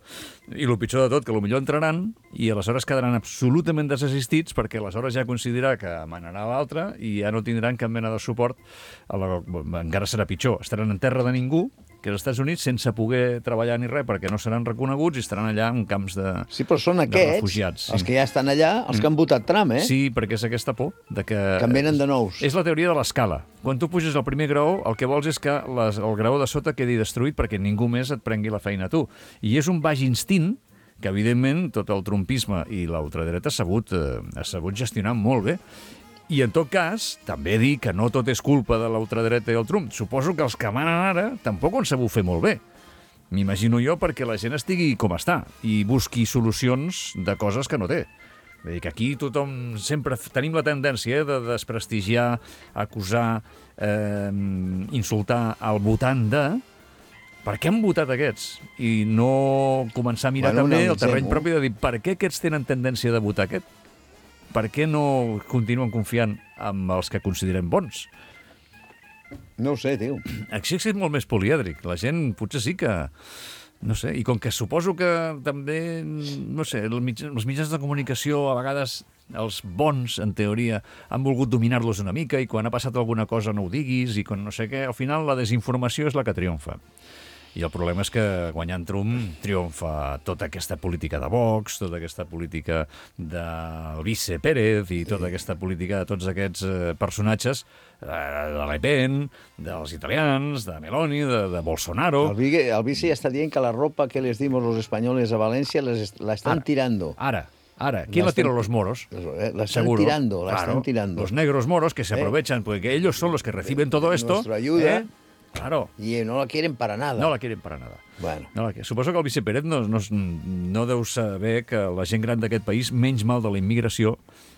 I el pitjor de tot, que potser entraran i aleshores quedaran absolutament desassistits perquè aleshores ja considerarà que manarà l'altre i ja no tindran cap mena de suport. Encara serà pitjor. Estaran en terra de ningú, que als Estats Units, sense poder treballar ni res, perquè no seran reconeguts i estaran allà en camps de refugiats. Sí, però són aquests, els que ja estan allà, els que han votat Trump, Sí, perquè és aquesta por de que en venen de nous. És la teoria de l'escala. Quan tu puges al primer graó, el que vols és que el graó de sota quedi destruït perquè ningú més et prengui la feina a tu. I és un baix instint que, evidentment, tot el trumpisme i l'ultradreta ha sabut gestionar molt bé. I, en tot cas, també dir que no tot és culpa de l'ultradreta i el Trump. Suposo que els que manen ara tampoc ho han sabut fer molt bé. M'imagino jo perquè la gent estigui com està i busqui solucions de coses que no té. Vull dir que aquí tothom sempre tenim la tendència de desprestigiar, acusar, insultar el votant de... Per què han votat aquests? I no començar a mirar també el terreny propi de dir per què aquests tenen tendència de votar aquest? Per què no continuen confiant en els que considerem bons? No ho sé, tio. Així és molt més polièdric. La gent potser sí que... No sé, i com que suposo que també, no sé, els mitjans de comunicació a vegades els bons, en teoria, han volgut dominar-los una mica i quan ha passat alguna cosa no ho diguis i quan no sé què, al final la desinformació és la que triomfa. I el problema és que guanyant Trump triomfa tota aquesta política de Vox, tota aquesta política del vice Pérez i tota aquesta política de tots aquests personatges de Le Pen, dels italians, de Meloni, de Bolsonaro. El vice ja està dient que la ropa que les dimos los españoles a València la están tirando. Ara, ¿quién la tira? Los moros. La están tirando, la están tirando. Los negros moros que se aprovechan, porque ellos son los que reciben todo esto. Nuestra ayuda. Claro. Y no la quieren para nada. No la quieren para nada. Bueno. Suposo que el vice Pérez no deu saber que la gent gran d'aquest país menys mal de la immigració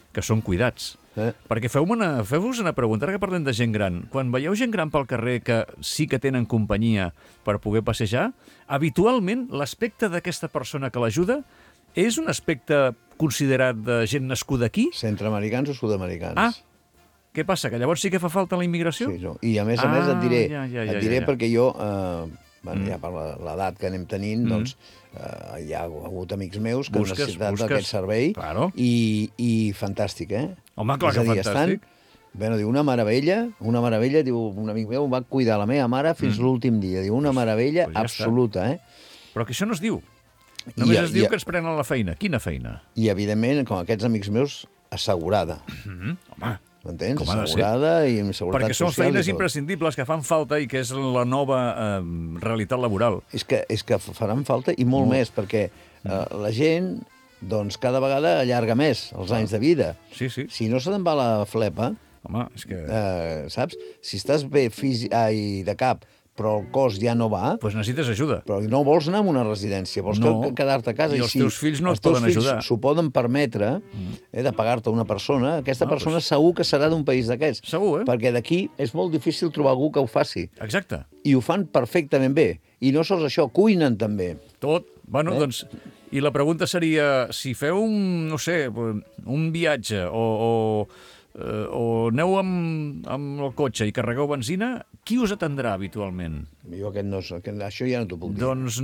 que són cuidats. Perquè feu-vos una pregunta, ara que parlem de gent gran. Quan veieu gent gran pel carrer que sí que tenen companyia per poder passejar, habitualment l'aspecte d'aquesta persona que l'ajuda és un aspecte considerat de gent nascuda aquí? Centroamericans o sud-americans. Què passa, que llavors sí que fa falta la immigració? Sí, i a més et diré perquè jo, ja per l'edat que anem tenint, doncs hi ha hagut amics meus que han necessitat aquest servei i fantàstic, Home, clar que fantàstic. Bueno, diu, una meravella, diu, un amic meu va cuidar la meva mare fins l'últim dia, diu, una meravella absoluta, Però que això no es diu. Només es diu que ens prenen la feina. Quina feina? I, evidentment, com aquests amics meus, assegurada. Home, m'entens? Com ha de ser. Assegurada i amb seguretat Perquè són social i feines tot. imprescindibles que fan falta i que és la nova realitat laboral. És que faran falta i molt més, perquè la gent doncs cada vegada allarga més els anys de vida. Sí, sí. Si no se te'n va la flepa, Home, és que... saps? Si estàs bé de cap, però el cos ja no va, Doncs necessites ajuda. però no vols anar a una residència, vols quedar-te a casa. I els teus fills no et poden ajudar. S'ho poden permetre de pagar-te una persona. Aquesta persona segur que serà d'un país d'aquests. Segur, Perquè d'aquí és molt difícil trobar algú que ho faci. Exacte. I ho fan perfectament bé. I no sols això, cuinen també. Tot. Bueno, doncs... I la pregunta seria, si feu no sé, un viatge o aneu amb el cotxe i carregueu benzina, qui us atendrà habitualment? Jo això ja no t'ho puc dir. Doncs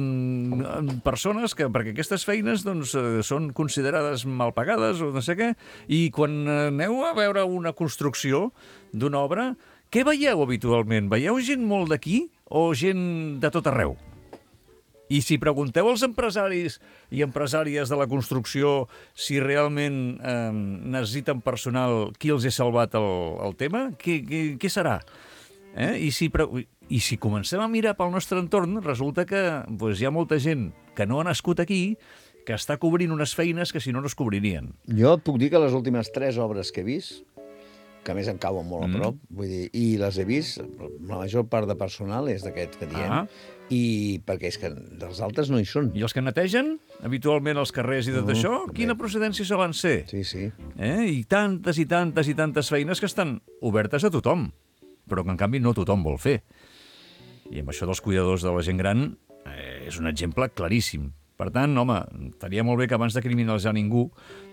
persones que, perquè aquestes feines doncs, són considerades mal pagades o no sé què, i quan aneu a veure una construcció d'una obra, què veieu habitualment? Veieu gent molt d'aquí o gent de tot arreu? I si pregunteu als empresaris i empresàries de la construcció si realment necessiten personal, qui els ha salvat el tema, què serà? I si comencem a mirar pel nostre entorn, resulta que hi ha molta gent que no ha nascut aquí que està cobrint unes feines que si no es cobririen. Jo et puc dir que les últimes 3 obres que he vist, que a més em cauen molt a prop, vull dir, i les he vist, la major part de personal és d'aquest que diem, i perquè és que dels altres no hi són. I els que netegen habitualment els carrers i tot això, quina procedència solen ser? Sí, sí. I tantes i tantes i tantes feines que estan obertes a tothom, però que en canvi no tothom vol fer. I amb això dels cuidadors de la gent gran és un exemple claríssim. Per tant, home, estaria molt bé que abans de criminalitzar ningú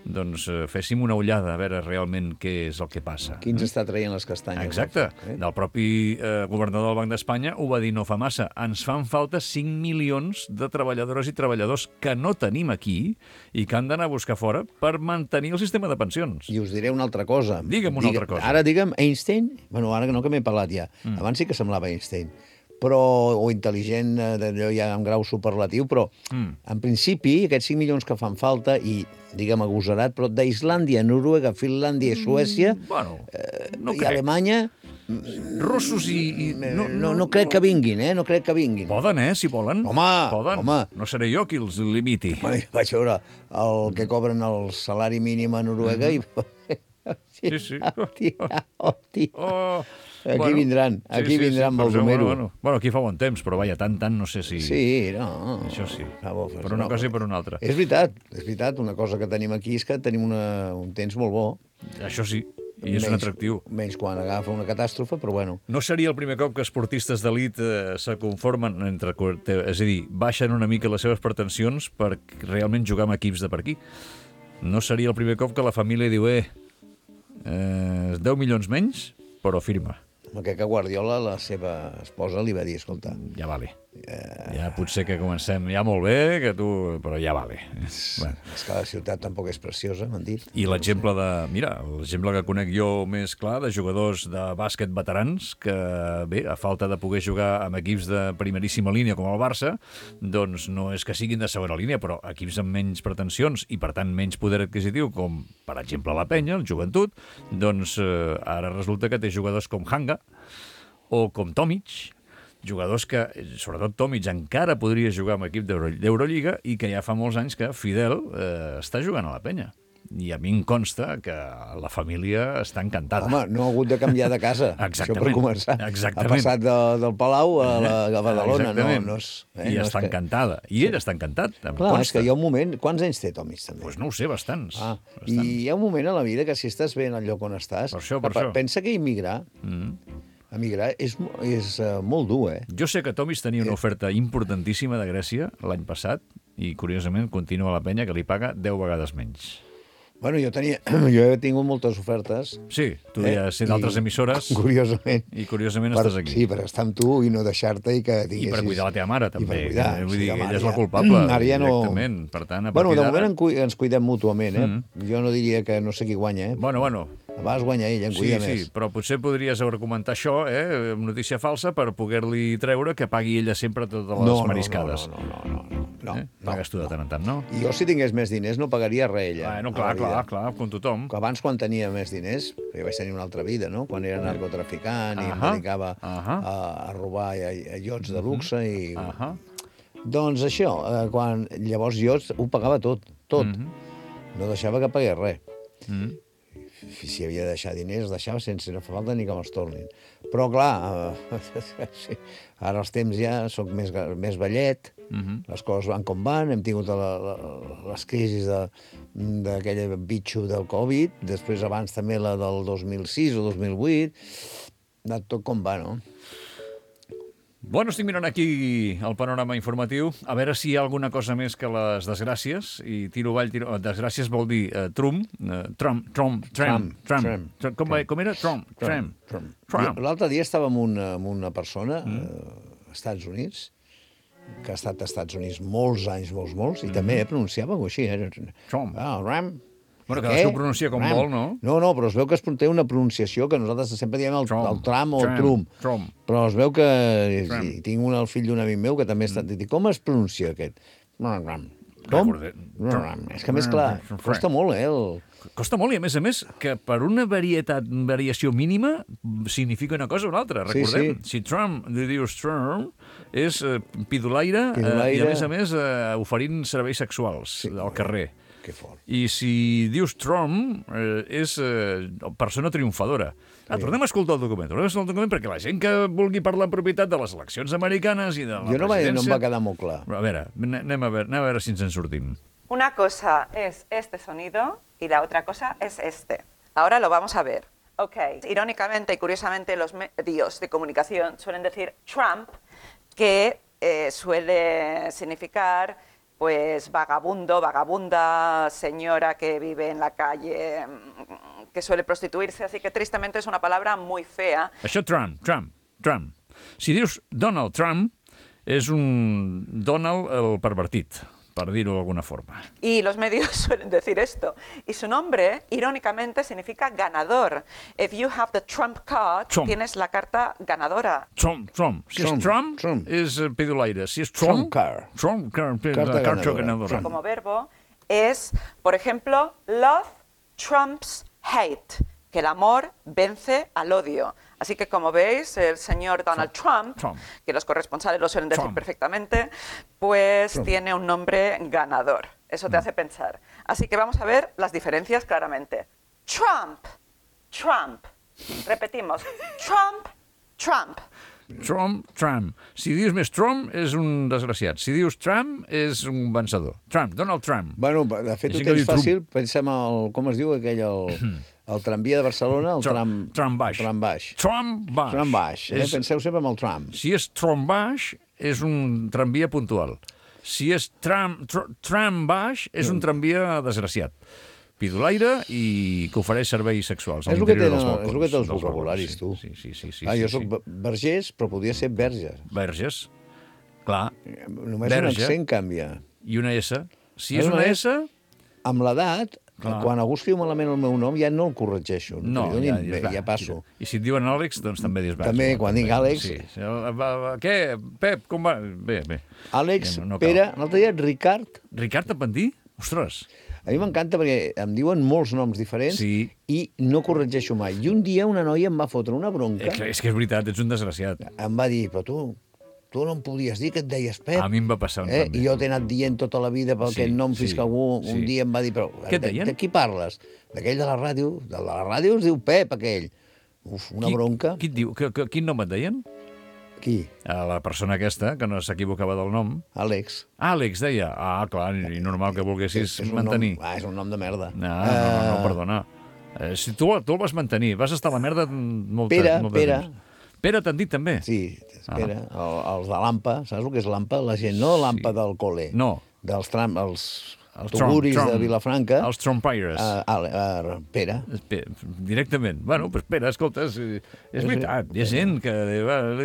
doncs féssim una ullada a veure realment què és el que passa. Qui ens està traient les castanyes? Exacte. Del propi governador del Banc d'Espanya ho va dir no fa massa. Ens fan falta 5 milions de treballadores i treballadors que no tenim aquí i que han d'anar a buscar fora per mantenir el sistema de pensions. I us diré una altra cosa. Digue'm una altra cosa. Ara digue'm Einstein, bueno, ara no que m'he parlat ja, abans sí que semblava Einstein, o intel·ligent, d'allò ja en grau superlatiu, però en principi aquests 5 milions que fan falta, i digue'm agosarat, però d'Islàndia, Noruega, Finlàndia i Suècia i Alemanya... Russos i... No crec que vinguin, no crec que vinguin. Poden, si volen. Home! No seré jo qui els limiti. Vaig veure el que cobren el salari mínim a Noruega i... Sí. Hòstia. Aquí vindran Baldomero. Bueno, aquí fa bon temps, però vaja, tant, no sé si... Sí, no. Això sí, per una cosa i per una altra. És veritat, una cosa que tenim aquí és que tenim un temps molt bo. Això sí, i és un atractiu. Menys quan agafa una catàstrofe, però bueno. No seria el primer cop que esportistes d'elit se conformen, és a dir, baixen una mica les seves pretensions per realment jugar amb equips de per aquí. No seria el primer cop que la família diu 10 milions menys, però firma. Que Guardiola, la seva esposa, li va dir, escolta... Ja vale. Ja potser que comencem ja molt bé, però ja vale. És que la ciutat tampoc és preciosa, m'han dit. I l'exemple l'exemple que conec jo més clar de jugadors de bàsquet veterans que, bé, a falta de poder jugar amb equips de primeríssima línia com el Barça, doncs no és que siguin de segona línia, però equips amb menys pretensions i, per tant, menys poder adquisitiu, com, per exemple, la Penya, el Joventut, doncs ara resulta que té jugadors com Hanga o com Tomic, jugadors que, sobretot Tomic, encara podria jugar amb equip d'Eurolliga i que ja fa molts anys que Fidel està jugant a la Penya. I a mi em consta que la família està encantada. Home, no ha hagut de canviar de casa. Exactament. Això per començar. Exactament. Ha passat del Palau a Badalona. I està encantada. I ell està encantat. Clar, és que hi ha un moment... Quants anys té Tomic, també? Doncs no ho sé, bastants. I hi ha un moment a la vida que si estàs bé en el lloc on estàs... Per això. Pensa que emigrar és molt dur, Jo sé que Tomic tenia una oferta importantíssima de Grècia l'any passat i, curiosament, continua a la Penya que li paga 10 vegades menys. Bueno, jo he tingut moltes ofertes. Sí, tu ja has set d'altres emissores. Curiosament. I curiosament estàs aquí. Sí, per estar amb tu i no deixar-te i que diguessis... I per cuidar la teva mare, també. I per cuidar. Vull dir, ella és la culpable, directament. Per tant, a partir de moment ens cuidem mútuament, Jo no diria que no sé qui guanya, Bueno, A vegades guanya ell, en cuida més. Sí, però potser podries argumentar això, amb notícia falsa, per poder-li treure que pagui ella sempre totes les mariscades. No. Pagues tu de tant en tant, no? I jo, si tingués més diners, no pagaria res, ella. Bueno, clar, com tothom. Que abans, quan tenia més diners, jo vaig tenir una altra vida, no? Quan era narcotraficant i em dedicava a robar iots de luxe i... Doncs això, llavors jo ho pagava tot. No deixava que pagués res. Si havia de deixar diners, deixava sense no fa falta ni que me'ls tornin. Però, clar, ara els temps ja soc més vellet, les coses van com van, hem tingut les crisis d'aquell bitxo del Covid, després abans també la del 2006 o 2008, de tot com va, no? Bueno, estic mirant aquí el panorama informatiu, a veure si hi ha alguna cosa més que les desgràcies, i tiro avall, desgràcies vol dir Trump. Com era? Trump. L'altre dia estava amb una persona als Estats Units, que ha estat als Estats Units molts anys, molts, i també pronunciava així. Trump. Ram. Bueno, cadascú pronuncia com vol, no? No, però es veu que té una pronunciació que nosaltres sempre diem el Trump o el Trump. Però es veu que... Tinc el fill d'un amic meu que també està... Com es pronuncia aquest? Com? És que, més clar, costa molt, Costa molt, i a més, que per una variació mínima significa una cosa o una altra. Recordem, si Trump dius Trump, és pidolaire i, a més, oferint serveis sexuals al carrer. Que fort. I si dius Trump, és persona triomfadora. Tornem a escoltar el document, perquè la gent que vulgui parlar en propietat de les eleccions americanes i de la presidència... No em va quedar molt clar. A veure, anem a veure si ens en sortim. Una cosa es este sonido y la otra cosa es este. Ahora lo vamos a ver. Ok. Irónicamente y curiosamente los medios de comunicación suelen decir Trump, que suele significar... pues vagabundo, vagabunda, señora que vive en la calle, que suele prostituirse, así que tristemente es una palabra muy fea. Això Trump. Si dius Donald Trump, és un Donald el pervertit, per dir-ho d'alguna forma. Y los medios suelen decir esto. Y su nombre, irónicamente, significa ganador. If you have the Trump card, tienes la carta ganadora. Trump. Si és Trump, és pidolaire. Si és Trump card, carta ganadora. Como verbo es, por ejemplo, love trumps hate, que el amor vence al odio. Así que, como veis, el señor Donald Trump, que los corresponsales lo suelen decir perfectamente, pues tiene un nombre ganador. Eso te hace pensar. Así que vamos a ver las diferencias claramente. Trump. Repetimos. Trump. Si dius més Trump, és un desgraciat. Si dius Trump, és un vencedor. Donald Trump. Bueno, de fet, ho tens fàcil. Pensem com es diu aquell... El tramvia de Barcelona, el tram baix. Penseu sempre en el tram. Si és tram baix, és un tramvia puntual. Si és tram baix, és un tramvia desgraciat. Pidolaire i que ofereix serveis sexuals. És el que té els vocabularis, tu. Sí. Jo soc vergés, però podria ser verges. Verges, clar. Només un accent canvia. I una S. Si és una S... Amb l'edat... Quan algú escriu malament el meu nom ja no el corregeixo. No, ja passo. I si et diuen Àlex, doncs també dius... També, quan dic Àlex... Què? Pep, com va? Bé. Àlex, Pere, l'altre dia Ricard... Ricard Apentí? Ostres! A mi m'encanta perquè em diuen molts noms diferents i no corregeixo mai. I un dia una noia em va fotre una bronca... És que és veritat, ets un desgraciat. Em va dir, però tu no em podies dir que et deies Pep. A mi em va passar també. I jo t'he anat dient tota la vida per aquest nom fins que algú un dia em va dir, però de qui parles? D'aquell de la ràdio? De la ràdio es diu Pep, aquell. Una bronca. Qui et diu? Quin nom et deien? Qui? La persona aquesta, que no s'equivocava del nom. Àlex. Àlex, deia. Clar, i normal que volguessis mantenir. És un nom de merda. No, perdona. Si tu el vas mantenir, vas estar a la merda molt Pere. Pere t'han dit també? Sí, Pere. Els de l'AMPA, saps el que és l'AMPA? La gent, no l'AMPA del col·le. No. Els tuguris de Vilafranca. Els trompaires. Pere. Directament. Bueno, doncs Pere, escolta, és veritat. Hi ha gent que li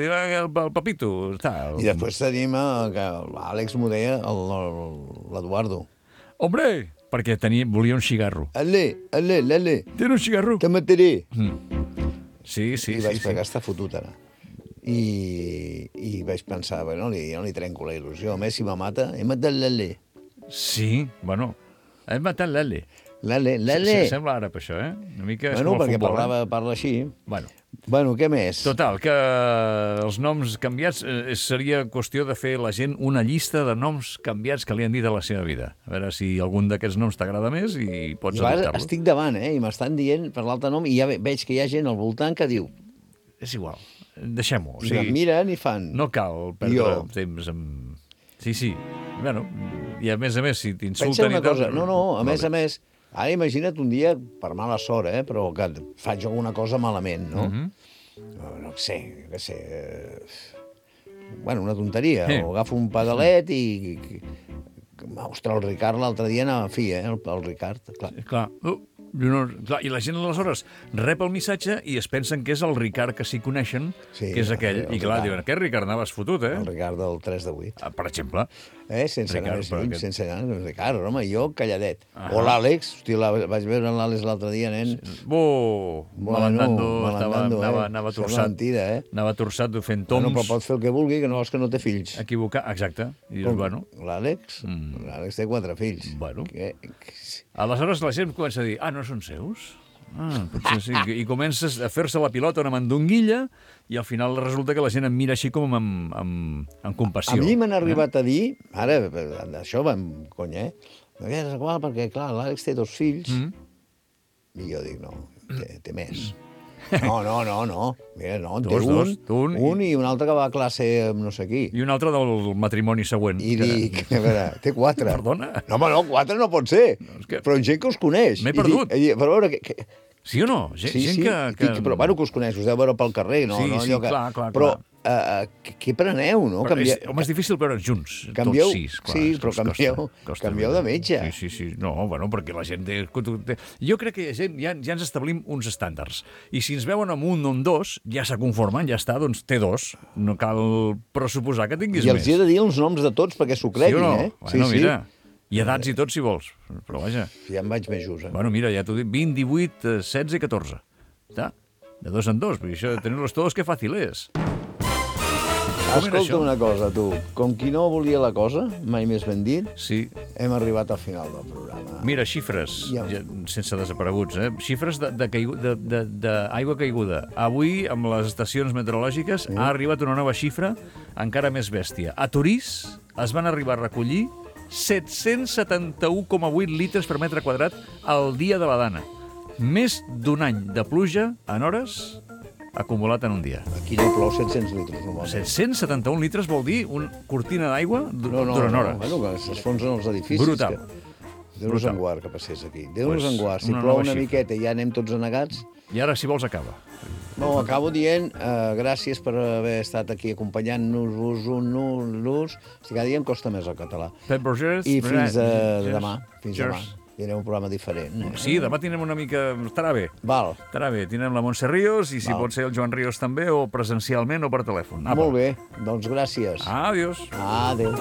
diu el papito. I després tenim que l'Àlex m'ho deia l'Eduardo. Hombre, perquè volia un cigarro. Ale. Tens un cigarro? Te mataré. Sí. I vaig pegar, està fotut ara. I vaig pensar, bueno, jo no li trenco la il·lusió. A més, si me mata, he matat l'ale. Sí, bueno, he matat l'ale. L'ale. Sembla àrab, això, Una mica és Bueno, com el perquè futbol, parla així. Bueno, què més? Total, que els noms canviats seria qüestió de fer la gent una llista de noms canviats que li han dit a la seva vida. A veure si algun d'aquests noms t'agrada més i pots adoptar-lo. Estic davant, i m'estan dient per l'altre nom, i ja veig que hi ha gent al voltant que diu... És igual, deixem-ho. I em miren i fan... No cal perdre temps amb... Sí. Bueno, i a més, si t'insulten... Pensa una cosa, a més, ara imagina't un dia, per mala sort, però que faig alguna cosa malament, no? No sé, bueno, una tonteria, o agafo un pedalet i... Ostres, el Ricard l'altre dia anava a fi, el Ricard, clar. Clar, i la gent aleshores rep el missatge i es pensen que és el Ricard que s'hi coneixen, que és aquell, i clar, diuen, aquest Ricard anaves fotut, El Ricard del 3 de 8. Per exemple. Sense anar més lluny, sense anar més Ricard, home, jo calladet. O l'Àlex, hòstia, vaig veure l'Àlex l'altre dia, nen. Malandando, anava torçat. Anava torçat fent toms. Però pot fer el que vulgui, que no vols que no té fills. Equivocar, exacte. L'Àlex? L'Àlex té 4 fills. Bueno. Aleshores la gent comença a dir, no són seus? Potser sí. I comences a fer-se la pilota una mandonguilla i al final resulta que la gent em mira així com amb compassió. A mi m'han arribat a dir, ara, això va amb conya, és igual perquè, clar, l'Àlex té 2 fills, i jo dic, no, té més. No. Mira, no, en té un i un altre que va a classe amb no sé qui. I un altre del matrimoni següent. I dic, a veure, té 4. Perdona? No, home, no, 4 no pot ser. Però gent que us coneix. M'he perdut. Però a veure... Sí o no? Gent que... Però, bueno, que us coneix, us deu veure pel carrer, no? Sí, clar. Però què preneu, no? Home, és difícil veure'ns junts, canvieu, tots 6. Sí, però canvieu de metge. Sí. No, bueno, perquè la gent... Jo crec que ja ens establim uns estàndards. I si ens veuen amb un o amb 2, ja se conformen, ja està, doncs té 2. No cal pressuposar que tinguis més. I els he de dir els noms de tots perquè s'ho creguin, Sí o no? Bueno, mira... I edats i tot, si vols. Però vaja... Ja em vaig més just, Bueno, mira, ja t'ho dic, 20, 18, 16 i 14. Està? De 2 en 2, perquè això de tenir-los tots, que fàcil és. Escolta una cosa, tu. Com qui no volia la cosa, mai més ben dit, hem arribat al final del programa. Mira, xifres, sense desapareguts, xifres d'aigua caiguda. Avui, amb les estacions meteorològiques, ha arribat una nova xifra encara més bèstia. A Torís es van arribar a recollir 771,8 litres per metre quadrat al dia de la Dana. Més d'un any de pluja en hores acumulat en un dia. Aquí no plou 700 litres. 771 litres vol dir una cortina d'aigua durant hores. Bueno, que s'esfonsen els edificis. Brutal. Déu-nos en guard que passés aquí. Déu-nos en guard. Si plou una miqueta i ja anem tots anegats... I ara, si vols, acaba. No, acabo dient gràcies per haver estat aquí acompanyant-nos. Cada dia em costa més el català. Pep Rogers. I fins demà. Fins demà. Tindrem un programa diferent. Sí, demà tindrem una mica... Estarà bé. Val. Estarà bé. Tindrem la Montse Ríos i si pot ser el Joan Ríos també, o presencialment o per telèfon. Molt bé. Doncs gràcies. Adiós. Adéu.